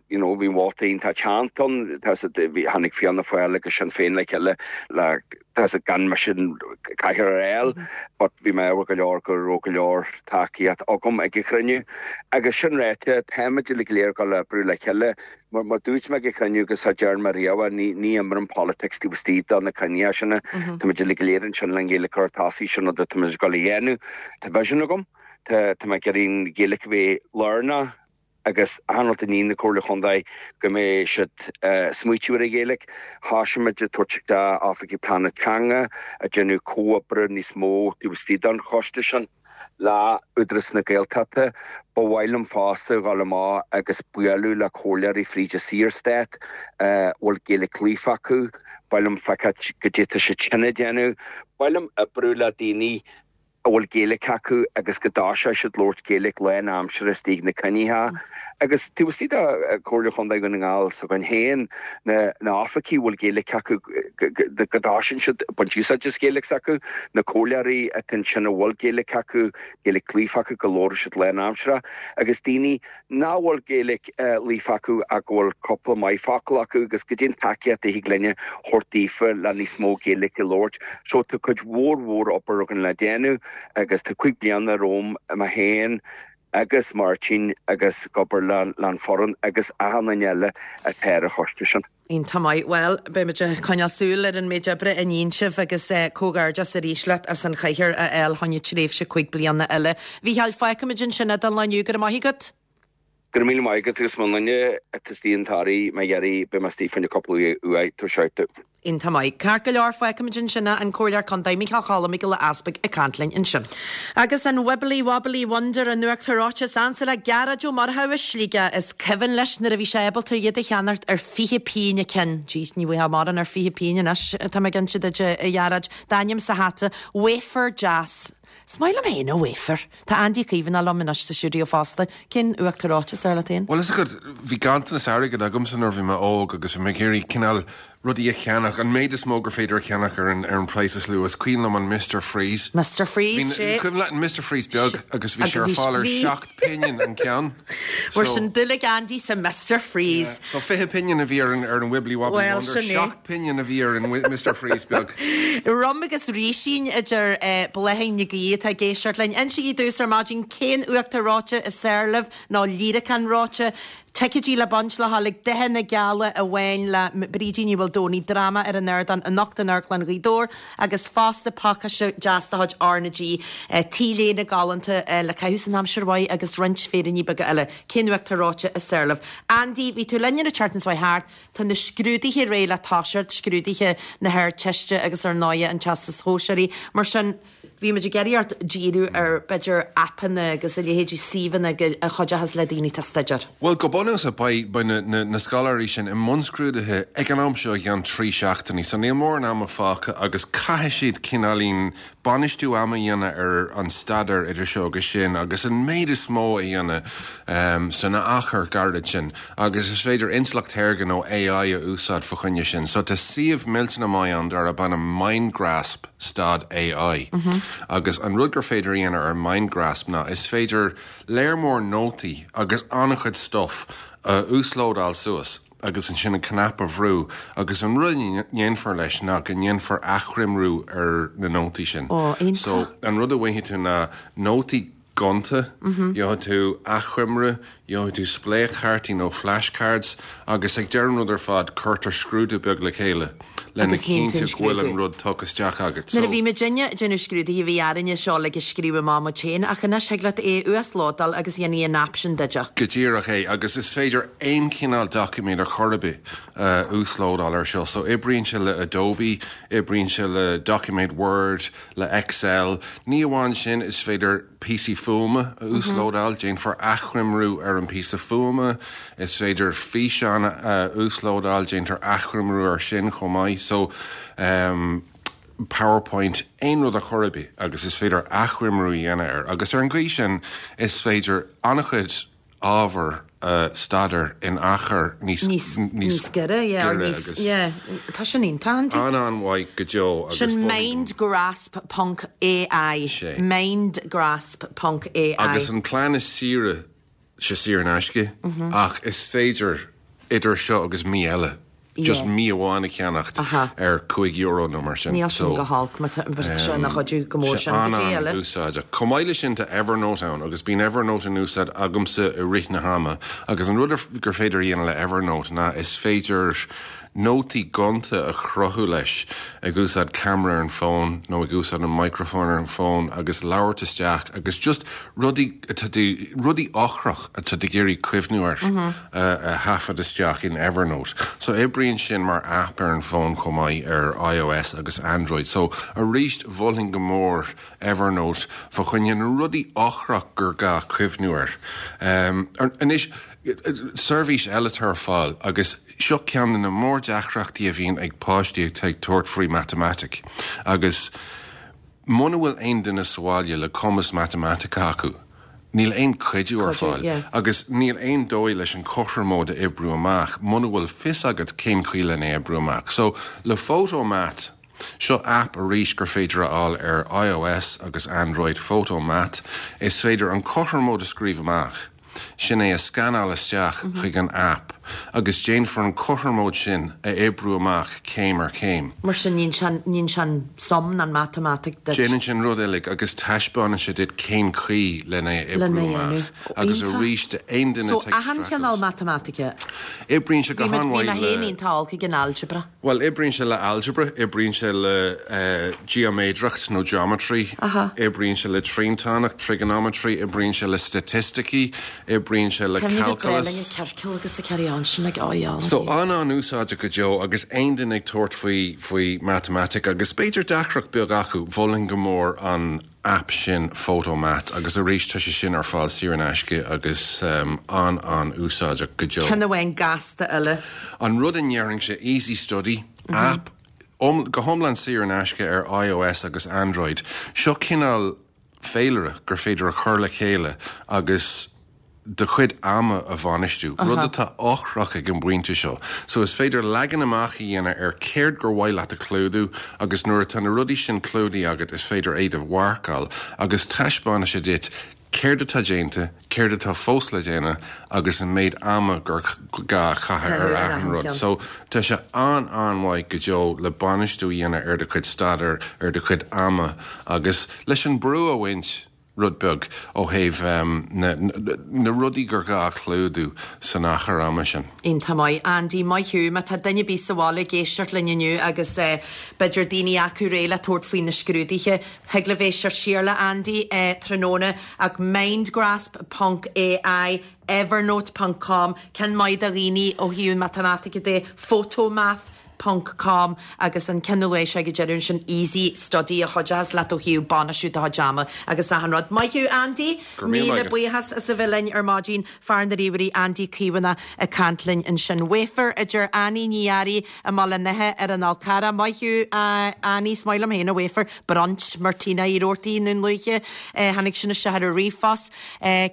You know bhí vóta iontach teannta ann, tá bhí tháinig Fianna Fáil agus Sinn Féin le chéile le tá gan mise an cathaoir a fháil but bhí mé ádhúil go leor go raibh go leor tacaíocht agam ag an chruinniú. Agus sin ráite, táimid uilig go léir ag dul oibriú le chéile. Mar mar dúirt mé ag an chruinniú agus a deir mé riamh, ní ní imrím politics taobh istigh de na cruinnithe sin. Táimid uilig go léir ansin le an Ghaeilge a chur tosaigh sin rud atá muid ag dul a dhéanamh. Tá vision agam, tá tá mé ag iarraidh an Ghaeilge a bheith lárnach agus achan rud a ní na Comhairle Chontae go mbeidh siad smaoitiú ar an Ghaeilge. Thosaigh muid ag tabhairt d'oifigigh pleanála teanga ag déanamh comhoibre níos mó taobh istigh den choiste sin le Údarás na Gaeltachta. Ba mhaith liom fosta dhul amach agus bualadh le comhairleoirí fríd an Saorstát a bhfuil Gaeilge líofa acu. Ba mhaith liom feiceáil goidé atá siad sin ag déanamh. Ba mhaith liom oibriú le daoine a bhfuil Gaeilge acu agus go dtoiseoidh siad labhairt Gaeilge lánaimseartha istigh na cruinnithe. Agus taobh istigh de Chomhairle Chontae Dhún na nGall s'againn féin, na na oifigigh a bhfuil Gaeilge acu go dtosaíonn siad ag baint úsáid as Gaeilge s'acu, na comhairleoirí atá ansin a bhfuil Gaeilge acu, Gaeilge líofa acu go labhróidh siad lánaimseartha, agus daoine nach bhfuil Gaeilge líofa acu ach go bhfuil cúpla maith focal acu agus goidé an tacaíocht a thig linne thabhairt daofa le níos mó Gaeilge a labhairt. So tá cuid mhór mhór obair againn le déanamh agus tá cúig bliana romham mé féin agus Máirtín agus ag obair le le an foireann agus achan duine eile atá ar an choiste sin. Iontach maith. Bhuel, beimid ag coinneáil súil ar an méid oibre a níonn sibh agus comhghairdeas arís leat as an chathaoir a fháil choinne tréimhse cúig bliana eile. Mhícheáil, fágfaimid ansin é don lá inniu. Go raibh maith agat. Go raibh míle maith agat agus más duine atá istigh an tAirí má iarraidh beidh mé istigh fá choinne cúpla uair tabhair shout domh. Iontach maith. Ceart go leor, fágfaimid ansin é, an Comhairleoir Contae Micheál Choilm Mac Giolla Easpaig ag caint linn ansin. Agus an Wibbly Wobbly Wonder an uachtar reoite is ansa le Gearóid Ó Murchú as Sligeach. Is cuimhin leis nuair a bhí sé ábalta iad a cheannacht ar fiche pingin an ceann. Jeez, ní bhfaighfeá mórán ar fiche pingin anois, tá mé cinnte duit, a Ghearóid. D'ainm sa hata, wafer deas. Is maith liom féin an wafer. Tá Andy Caomhánach liom anois sa stiúideo fosta. Cén uachtar reoite is fearr leat féin? Bhuel, is agat, bhí ganntanas airgid agamsa nuair a bhí mé óg agus bhí mé ag iarraidh cineál rudaí a cheannach, an méid is mó gur féidir a cheannach ar an ar an praghas is lú. Is cuimhin liom an Mister Freeze. Mister Freeze, sé. Cuimhin leat an Mister Freeze beag agus bhí sé ar fáil ar seacht pingin an ceann. Mar sin dúil ag Andy sa Mister Freeze. So fiche pingin a bhí ar an ar an Wibbly Wobbly Well, Wonder, sin é. seacht pingin a bhí ar an Mister Freeze beag. Rum agus rísín idir Bláithín Nic Aoidh atá ag éisteacht linn. Insígí dúinn ar maidin cén uachtar reoite is fearr libh nó líreacán reoite. Ticéidí le baint le haghaidh D'Oíche na Geala amháin le Brídín Ní Mhaoldomhnaigh, dráma ar an ardán anocht in Amharclann Ghaoth Dobhair agus fosta pacáiste deas de chuid R na G, T-léine galánta le caitheamh san aimsir mhaith agus roinnt féiríní beaga eile. Cén uacht tá reoite i Séarlamh? Andy, bhí tú linn an tseachtain seo thart, tá na scrúduithe réidh le toiseacht, scrúduithe na hArdteiste agus ar ndóighe an Teastas Shóisearaigh. Mar sin, bhí muid ag iarraidh ort díriú ar, b'fhéidir, aipeanna agus a leithéidí, suíomhanna a chuideochas le daoine atá ag staidéar. Bhuel, go bunúsach, beidh, beidh na, na, na scoláirí sin i mbun scrúduithe ag an am seo i gceann trí seachtainí, so níl mórán ama fágtha agus caithfidh siad cineáilín bainistiú ama a dhéanamh ar an staidéar idir seo agus sin agus an méid is mó a dhéanamh san achar gairid sin agus is féidir intleacht shaorga nó AI a úsáid fa choinne sin. So tá suíomh millteanach maith ann darb ainm Mindgrasp stad AI agus an rud gur féidir a dhéanamh ar Mindgrasp ná is féidir léar mór nótaí agus an-chuid stuff a uaslódáil suas agus ansin an cnaipe a bhrú agus an rud a ndéanfar leis ná go ndéanfar achoimriú ar na nótaí sin. Ó, iontach. So an rud a bhfaighidh tú ná nótaí gonta, gheobhaidh tú achoimre, gheobhaidh tú spléachchártaí nó flashcards agus ag deireadh an rud ar fad cuirtear scrúdú beag le chéile lena Agus théann tú an chinntiú go bhfuil scrúdú. an rud tugtha isteach agat. Nuair a So bhí muidinne ag déanamh scrúduithe bhí orainne seo uilig a scríobh amach muid féin ach anois thig leat é a uaslódáil agus dhéanfaidh an aip sin duit é. Go díreach é agus is féidir aon chineál doiciméad ar chor ar bith a uaslódáil ar seo. So oibríonn sé le Adobe, oibríonn sé le doiciméad Word, le Excel. Ní amháin sin is féidir píosaí fuaime a uaslódáil, déanfar achoimriú ar an píosa fuaime, is féidir físeán a uaslódáil, déantar achoimriú ar sin chomh maith. So um, PowerPoint aon rud a chor ar bith agus is féidir achoimriú a dhéanamh air. Agus ar an gcaoi sin is féidir an-chuid ábhar uh, staidéar in achar níos Níos níos giorra, yeah, or giorra níos agus yeah, tá sin iontach, Andy. an-an-mhaith go deo agus Sin mholfainn mindgrasp ponc AI. Sé. Mindgrasp ponc AI. Agus an plean is saoire sé saor in aisce ach is féidir idir seo agus mí eile just Yeah. mí amháin a cheannacht Aha. ar cúig euro nó mar sin. Níl sin go holc, má tá sé ina chuidiú go mór sin go dtí eile. úsáideach. Chomh maith leis sin tá Evernote ann agus bíonn Evernote in úsáid agamsa i rith na hama agus an rud ar- gur féidir a dhéanamh le Evernote ná is féidir nótaí gonta a chruthú leis ag úsáid camera ar an bhfón nó ag úsáid an microphone ar an bhfón agus labhairt isteach agus just rudaí atá tú- rudaí ochrach atá tú ag iarraidh cuimhniú air uh, a thaifead isteach in Evernote. So oibríonn sin mar app ar an bhfón chomh maith ar iOS agus Android. So arís mholfainn go mór Evernote fa choinne na rudaí ochrach gur gá cuimhniú air. Um, anois seirbhís eile atá ar fáil agus seo ceann de na mór-deacrachtaí a bhíonn ag páistí atá ag tabhairt faoi matamaitic. Agus muna bhfuil aon duine sa bhaile le cumas matamaitice acu. Níl aon chuidiú ar Cuidiú, fáil yeah. agus níl aon dóigh leis an chothromóid a oibriú amach, muna bhfuil fios agat cén chaoi lena oibriú amach. So le Photomath, seo app arís gur féidir a fháil ar iOS agus Android Photomath, is féidir an chothromóid a scríobh amach. Sin é a scanáil isteach chuig an app, agus déanfar an chothromóid sin a oibriú amach céim ar chéim. Mar sin níon sin sum an matamaitic duit. Déanann sin rud uilig agus taispeánann sé duit cén chaoi lena Lena oibriú dhéanamh. amach. Agus Iontach. arís aon duine So atá ag achan chineál streachailt. matamaitice. Oibríonn sé go Bhí mé han-mhaith féin le- iontach olc ag an algebra. Well, oibríonn sé le algebra, oibríonn sé le uh, geoméadracht nó geometry, Aha. oibríonn sé le triantánach, trigonometry, oibríonn sé le staitisticí, oibríonn sé le Cemni go calculus. ciorcal agus a carry on sin ag áá. So an an-úsáideach go deo agus aon duine ag tabhairt faoi faoi matamaitic agus b'fhéidir deacracht beag acu mholfainn go mór an app sin Photomath agus arís tá sé sin ar fáil saor in aisce agus um, an an-úsáideach go deo. Ceann amháin gasta eile. An rud a ndéarfainn sé Easy Study app um, go hiomlán saor in aisce ar iOS agus Android. Seo cineál féilire gur féidir a chur le chéile agus do chuid ama a bhainistiú, rud atá ochrach ag an bpointe seo. So is féidir leagan amach a dhéanamh ar céard gur mhaith leat a chlúdú agus nuair atá na rudaí sin clúdaithe agat is féidir é a mharcáil agus taispeánann sé duit céard atá déanta, céard atá fós le déanamh agus an méid ama gur gá caitheamh ar Ar achan achan rud. cheann. So tá sé an an-mhaith go deo le bainistiú a dhéanamh ar do chuid staidéir ar do chuid ama agus leis an brú a bhaint rud beag ó thaobh na na rudaí gur gá a chlúdú san achar ama sin. Iontach maith, Andy, maith thú. Má tá duine ar bith sa bhaile ag éisteacht linn inniu agus b'fhéidir daoine acu réidh le tabhairt faoi na scrúduithe, thig libh éisteacht siar le Andy tráthnóna ach mindgrasp ponc AI, evernote ponc com, ceann maith do dhaoine ó thaobh matamaitice de, photomath. ponc com agus an ceann a luaigh sé ag an deireadh ansin Easy Study a chuideochas leat ó thaobh bainistiú do chuid ama agus achan rud. Maith thú Andy! Go raibh míle Míle maith agat. buíochas as a bheith linn ar maidin, fear na ríomhairí Andy Caomhánach ag caint linn ansin. Wafer a deir Annie Ní Fhearraigh i mBaile an Átha ar an Fhál Carrach. Maith thú Annie, is maith liom féin a wafer. Brunch Martina Uí Robhartaigh i nDún Lúiche. Tháinig sin isteach ar an ríomhphost.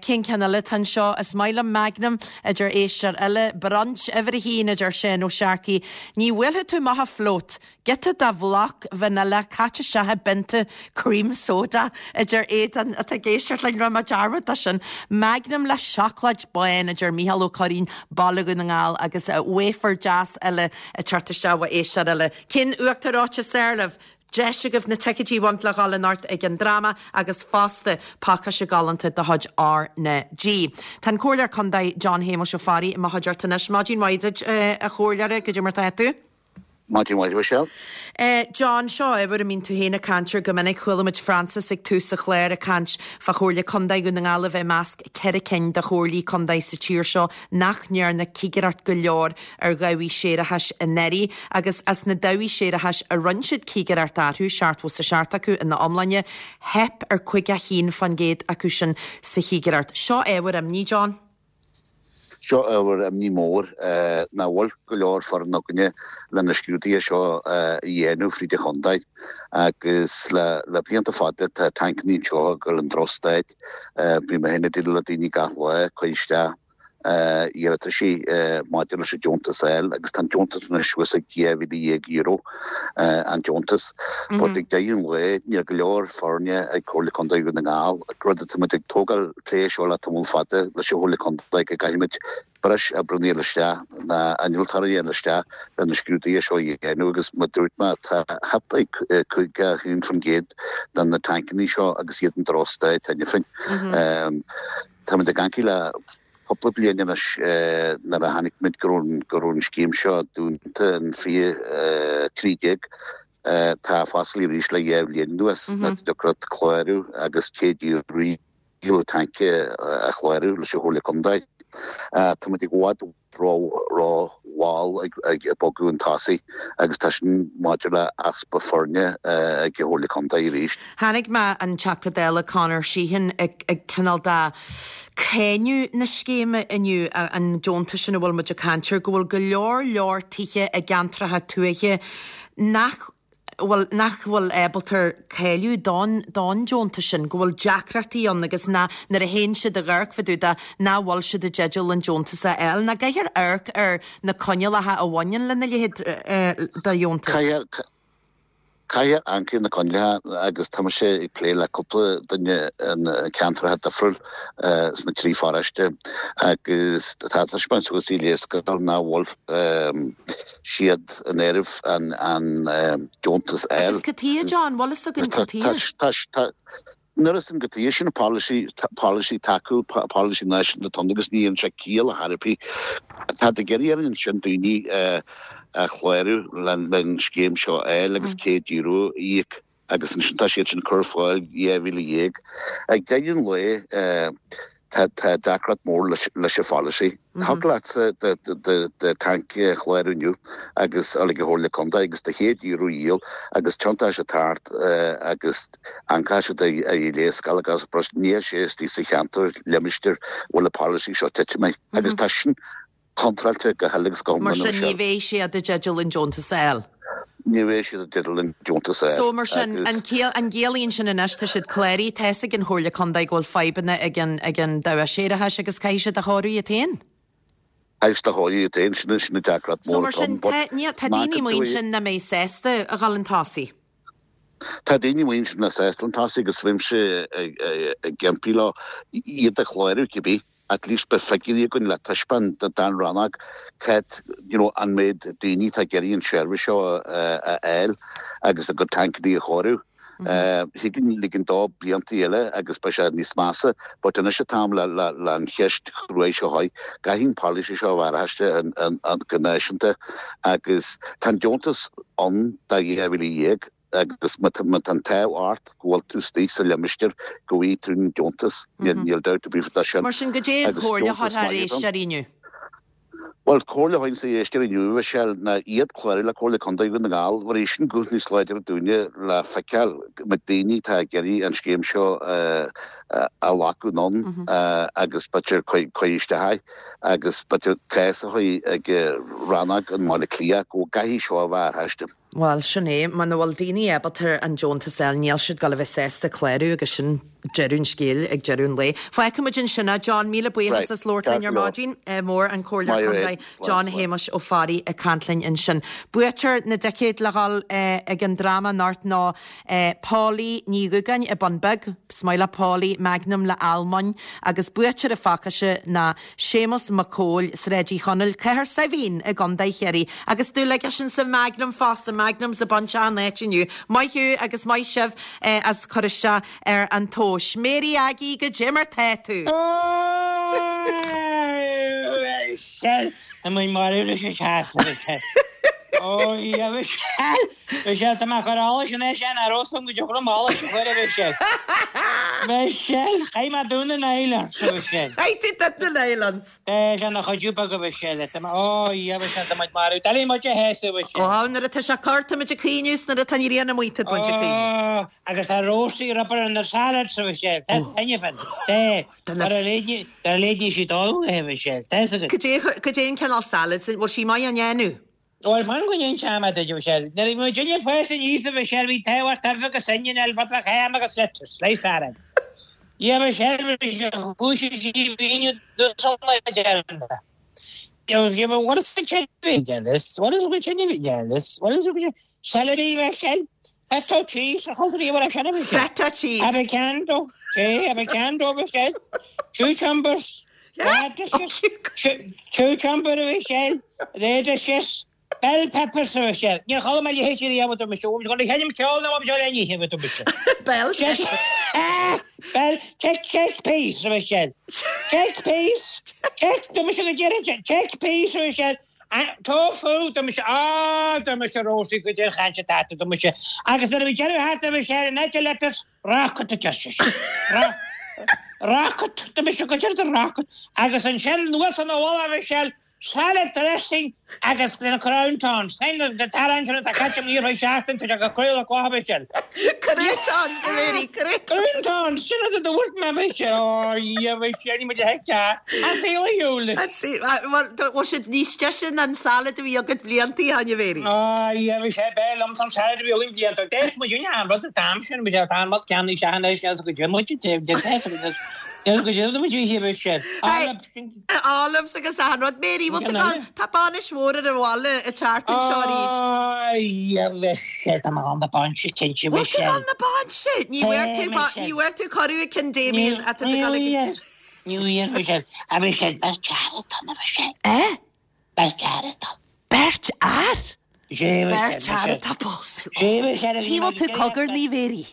Cén ceann eile atá anseo? Is maith liom Magnum a deir éisteoir eile. Brunch uimhir a haon a deir Seán Ó Searcaigh. Ní bhuailfidh tú amach a float. Giota de bhloc vanilla caite isteach i bpionta cream soda a deir Aodán atá ag éisteacht linn, rinne mé dearmad de sin. Magnum le seacláid bán a deir Mícheál Ó Curraoin, Baile Dhún na nGall agus wafer deas eile ag teacht isteach ó éisteoir eile. Cén uachtar reoite is fearr libh? Deis agaibh na ticéidí a bhaint le dhul anocht ag an dráma agus fosta pacáiste galánta de chuid R na G. Tá an Comhairleoir Contae John Shéamuis Ó Fearraigh i mo chuideachta anois. Maidin mhaith duit, a Chomhairleora, goidé mar tá tú? Maidin mhaith, Michelle. John, seo ábhar a mbíonn tú féin ag caint air go minic. Chuala muid Francis ag tús an chláir ag caint fá Chomhairle Contae Dhún na nGall a bheith i measc ceithre cinn de chomhairlí contae sa tír seo nach ndearna cigireacht go leor ar dhabhaigh séarachais anuraidh agus as na dabhaigh séarachais a rinne siad cigireacht orthu, seachtó is a seacht acu ina iomláine, theip ar caoga a haon faoin gcéad acu sin sa chigireacht. Seo ábhar imní, John. Seo ábhar imní mór nach bhfuil go leor foireann againne le na scrúduithe seo a dhéanamh fríd an chontae agus le blianta fada tá tancannaí anseo ag dul in drochstaid. Bím mé féin ag déileáil le daoine gach lá ag cur isteach iarrataisí maidir leis an deontas a fháil agus tá an deontas anois suas ag dhá mhíle dhéag euro an deontas. But ag deireadh an lae níl go leor foirne ag Comhairle Contae Dhún na nGall, rud atá muid ag tógáil plé seo le tamall fada leis an Chomhairle Contae go gcaithfimid breis oibreanna a fháil isteach ná innealtóirí a fháil isteach le na scrúduithe seo a dhéanamh agus mar dúirt mé tá theip ag caoga a haon faoin gcéad de na tancannaí seo agus iad in drochstaid cheana féin. Táimid ag amharc le cúpla bliain anois nuair a chonaic muid go raibh go raibh an scéim seo dúnta in fiche trí déag. Tá foscailte arís le dhá bhliain anuas nach dtiocfadh clárú agus céad iarraidh tanc a chlárú leis an Chomhairle Contae. Táimid i bhfad ró-mhall ag bogadh chun tosaigh agus tá sin maidir le easpa foirne ag an Chomhairle Contae arís. Chonaic mé an Teachta Dála Conor Sheehan ag cineál de cáineadh na scéime inniu, an deontas sin a bhfuil muid ag caint air, go bhfuil go leor leor tithe i gceantracha tuaithe nach bhfuil, nach bhfuil ábalta cáiliú don, don deontas sin, go bhfuil deacrachtaí ann agus ná, nuair a théann siad ag amharc fá dtaobh de, nach bhfuil siad i dteideal an deontas a fháil. Nach gcaithfear amharc ar na coinníollacha a bhaineann lena leithéid de dheontas. Caithfear, caithfear amharc ar na coinníollacha agus tá mise ag plé le cúpla duine in ceantracha difriúil sna trí pharóiste agus tá taispeáint suas i léarscáil nach bhfuil siad in áireamh an an deontas a fháil. Agus cad chuige, John, bhfuil fhios againn cad chuige? Nuair is an go dtí sin polasaí polasaí tacú polasaí náisiúnta atá ann agus ní dhéanann sé ciall ar chor ar bith. Tá ag iarraidh orainn ansin daoine a chlárú len scéim seo a fháil agus céad euro a íoc agus ansin tá siad sin ag cur ar fáil dhá mhíle dhéag. Ag deireadh an lae tá tá deacracht mór leis leis an pholasaí. Thig leatsa do do do tanc a chlárú inniu agus a ag an Chomhairle Contae agus do chéad euro a dhíol agus tiontá sé thart agus amharcfaidh siad ar an léarscáil agus níl sé istigh sa cheantar limistéar bhfuil an polasaí seo titim agus tá sin contráilte go huile agus go Mar hiomlán sin ní Michelle. bheidh siad i dteideal an deontas a fháil. Ní bheidh siad i dteideal an deontas a fháil So mar sin, agus an ciall, an gciallaíonn sin anois, tá siad cláraithe, tá fhios ag an Chomhairle Contae go bhfuil fadhbanna ag an, ag an dabhach séarachais agus caithfidh siad a chóiriú iad féin? Caithfidh siad a chóiriú iad féin, sin, sin an deacracht So mór mar atá sin, ann, but tá, níl, tá má daoine go amuigh dtuigh- ansin nach mbeidh sásta a dhul chun tosaigh. Tá daoine amuigh ansin nach sásta chun tosaigh agus bhímse ag, ag, ag impí leo iad a chlárú cibé. At least beidh figiúirí againn le taispeáint don rannóg cad you know an méid daoine atá ag iarraidh an seirbhís seo a fháil agus a gcuid tancannaí a chóiriú. Thig linn ligean dó blianta eile agus beidh sé níos measa, but anois an t-am le le an cheist chruaidh seo a chur. Caithfidh an polasaí seo a bheith athraithe go náisiúnta agus tá an deontas ann do dhá mhíle dhéag agus má tá an t-ádh ort go bhfuil tú istigh sa limistéar go bhfaighidh tú an deontas, níl dabht ar bith faoi sin. Mar sin, goidé an chomhairle a thabharfá ar éisteoirí inniu? Bhuel, comhairle a thabharfainnse d'éisteoirí inniu, a Mhichelle, ná iad clárú le Comhairle Contae Dhún na nGall, mar é sin guth níos láidre dúinne le feiceáil na daoine atá ag iarraidh an scéim seo a ghlacadh anonn agus b'fhéidir cur isteach agus b'fhéidir cás a chur ag rannóg i mBaile Átha Cliath go gcaithfidh seo a bheith athraithe. Bhuel, sin é, muna bhfuil daoine ábalta an deontas a fháil, níl siad ag dul a bheith sásta clárú agus sin deireadh an scéil ag deireadh an lae. Fágfaidh muid ansin é, John, míle buíochas as labhairt linn ar maidin. Mór an Comhairleoir Contae John Shéamuis Ó Fearraigh ag caint linn ansin. Buaiteoir na dticéad le dhul ag an dráma anocht ná Polly Ní Dhúgáin i Bun Beag. Is maith le Polly Magnum le almóinn agus buaiteoir an phacáiste ná Séamus Mac Cóil, Sráid Uí Chonaill, Cathair Saidhbhín i gContae Chiarraí. Agus dúil aigesean sa Magnum fosta, Magnums ag baint an áit inniu. Maith thú agus maith sibh as cur isteach ar an tomhas. Mary Aggie, goidé mar tá tú? Tá mé marbh leis an teas, a Mhichelle. Ó, a Mhichelle! Michelle, tá mé ag cur allais anois, an raibh fhios agam go dtiocfadh liom allas a chur, a Mhichelle. Michelle, chaith mé Dún na nIslands, a Mhichelle. Chaith tú Dún na nIslands? É, sin a chuidiú beag, a Mhichelle. Tá mé, ó, a Mhichelle, tá muid marbh. D'éirigh muid a théasadh, a Mhichelle. Ó, nuair atá sé corr, tá muid ag caoineadh, 's nuair atá an ghrian amuigh, tá muid ag caoineadh. Ó, agus tá róstaí rubber in the salads, a Mhichelle. Tá taitneamh ann. Tá. Dar a léidní sí dul a Mhichelle. Tá fhios agat. Goidé an cineál salad sin, bhfuil sí maith á ndéanamh? Bhuel, fan go n-inseoidh mé duit, a Mhichelle. Nuair a bhí muid ag fás aníos, a Mhichelle, bhí tábhacht uibhe agus onion, rud beag ham agus lettuce, slice salad. Yeah, Michelle, bhí sé chúis sí bhíonn deireadh. What is the this? What is the What is the Celery, Michelle? Feta cheese, a chultúr í sin a Michelle. Feta cheese. Avocado, sí, avocado, Michelle. Cucumbers, radishes, cucumber, Michelle, radishes, bell peppers, Michelle. Níor chuala mé a leithéid riamh, a dúirt mise. Bhí mé ag ceol nó bhí mé ní, a dúirt mise. Bell Bell, check, chickpeas, Michelle. Chickpeas, check, dúirt mise go deireadh, chickpeas, Michelle. Tofu, dúirt mise, á, dúirt mise Rosie go deireadh chainte tata, dúirt mise. Agus nuair a bhí deireadh thart, Michelle, an áit lettuce, rocket a deir sise. Rocket, dúirt mise go deireadh rocket. Agus ansin anuas ina mhullach, Michelle, salad dressing agus na croutons. Sin na tarraing sin atá caite amuigh ar feadh seachtain, tá sé go cruaidh le cloch, Michelle. Croutons, a Mary, croutons. Croutons, sin rud a dúirt mé, Michelle. Ó, a Michelle, ní muid a fheiceáil. An saol a shiúl. An saol, bhuel, bhfuil siad níos deise ná an salad a bhí agat blianta ó shin, a Mary? Ó, a Michelle, b'fhearr liomsa an salad a bhí againn blianta. D'fhéas muid an rud an t-am sin, Michelle, tá an rud ceannaigh sé anois, níl 's go dtí muid, níl 's go dtí muid a Michelle. Olives agus achan rud. Mary, bhfuil tú ag dul, tá bainis mhór ar an bhaile an tseachtain seo arís. Ó, Michelle, tá mé ag dul na bainse, cinnte, Bhfuil tú ag Michelle. dul na bainse? Ní bhfuair tú, ní bhfuair tú cuireadh ag cionn Damien atá tú ag dul ag. Ní bhfuair, Michelle. A Michelle, beirt fhear atá ann, a Michelle. Eh? Beirt fear atá ann. Beirt fhear? Sé, Michelle, Beirt fhear Michelle. atá ag pósadh. Sé, Michelle, a bhí Tí mé bhfuil tú ag cogarnaí, Mary?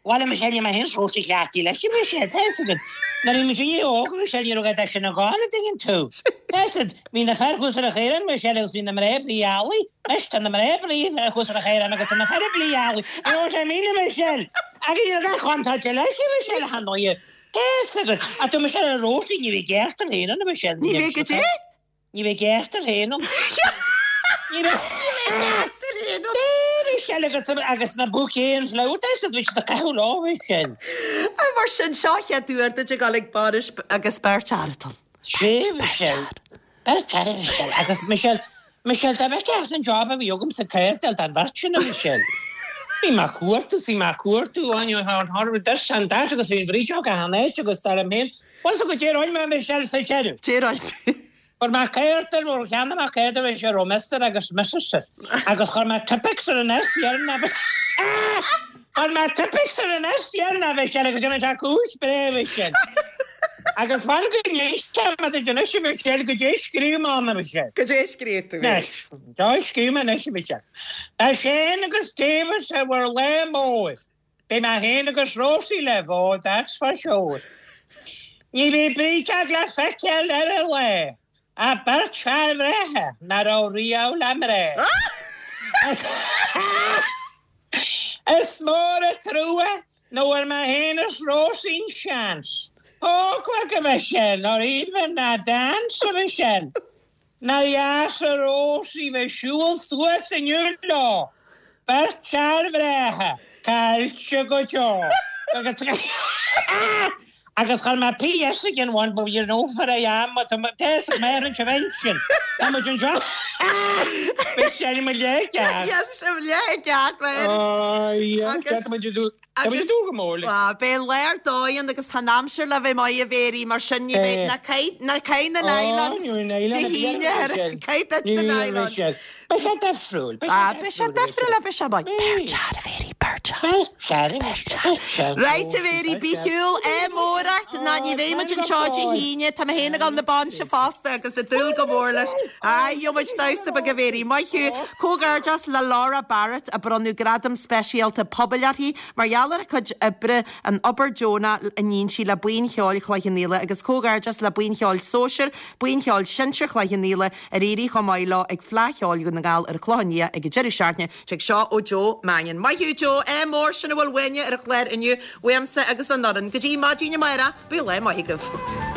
Bhuel, a Michelle, níl mé féin fós cleachtaithe leis, a Michelle, tá fhios agat. Nuair a bhí mise óg, a Michelle, ní raibh a dhath sin ag gabháil, an dtuigeann tú. Tá fhios agat, bhí na fir thuas ar an chaorán, Michelle, agus bhí na mná ag bruith eallaigh. Anois, tá na mná ag bruith thuas ar an chaorán agus tá na fir ag bruith eallaigh. You know what I mean, a Michelle? Agus ní raibh a dhath contráilte leis, a Michelle, ar ndóighe. Tá fhios agat. Ach tá Michelle ar Rósaí, ní bheidh gearrtar féin ann, a Michelle. Ní bheidh goidé? Ní bheidh gearrtar féin ann. Ní bheidh gearrtar féin ann. Michelle agus agus na bouquet and flower tá siad bhí siad ag caitheamh leo Michelle. Mar sin seo an chéad uair duit ag dul ag bainis agus beirt fhear atá ann. Sé Michelle. Beirt fhear Michelle agus Michelle Michelle tá bheith as an job a bhí agam sa céard an bheirt sin a Michelle. Bhí mé ag cuartú bhí mé ag cuartú an an this and that agus bhí an bhrídeog achan áit agus dar liom féin. Bhuel so go dté roinn mé Michelle sa deireadh. Dé roinn. Chuir mé cárta nó cheannaigh mé cárta bhí sé raibh Mister agus Missus agus chuir mé Tipp-Ex ar an S dheireanach agus chuir mé Tipp-Ex ar an S dheireanach Michelle agus rinne sé cúis breá Michelle. Agus fan go n-éistfidh mé duit anois a Michelle goidé a scríobh mé ann a Michelle. Goidé a scríobh tú. Anois, goidé a scríobh mé anois a Michelle. Tá Shane agus David ar bhur lá mór. Beidh mé féin agus Rósaí libh, oh that's for sure. Ní bheidh brídeog le feiceáil ar an lá ach beirt fear bhreátha nach raibh riamh le mná. Is mór an trua nach bhfuair mé féin is Rósaí an seans. Ógmhac a Mhichelle, not even a dance a Mhichelle. Nár dheas a Rósaí bheith ag siúl suas inniu leo, beirt fhear bhreátha, caillte go deo. Agus chuir mé P.S. again one but you know for I am tá tá mé ar an invention. Tá muid anseo. Bhí sé mo leith ceart. Yes, sé mo leith ceart, man. Oh, yeah. Tá muid Tá muid ag dúil go mór leis. Á, beidh lá ar dóigh ann agus tá an aimsir le bheith maith a Mhéirí, mar sin ní bheidh, ná caith, ná caith na nylons Dé hAoine, caith duit na nylons. Beidh sé difriúil, beidh sé Ah, beidh sé difriúil, beidh sé maith. Beir tear a Mhéirí, beir tear. Beir tear, beir tear. Right a Mhéirí, bí shiúl, ádh mór ort, ná ní bheidh muid anseo Dé hAoine, tá mé féin ag dul na bainse fosta agus ag dúil go mór leis. Á, gheobhaidh muid damhsa beag a Mhéirí. Maith thú. Comhghairdeas le Laura Barrett a bronnadh gradam speisialta pobail uirthi mar gheall ar a cuid oibre, an obair deonach a níonn sí le Buíon Cheoil Chloich Cheann Fhaola agus comhghairdeas le Buíon Cheoil Sóisir, Buíon Cheoil Sinsir Chloich Cheann Fhaola ar éirigh chomh maith leo ag Fleadh Cheoil Dhún na nGall ar an Chlochán Liath ag an deireadh seachtaine. Tig seo ó Joe Mannion. Maith thú Joe, ádh mór sin a bhfuil uainne ar an chlár inniu, uaimse agus an fhoireann. Go dtí maidin amárach, bíodh lá maith agaibh.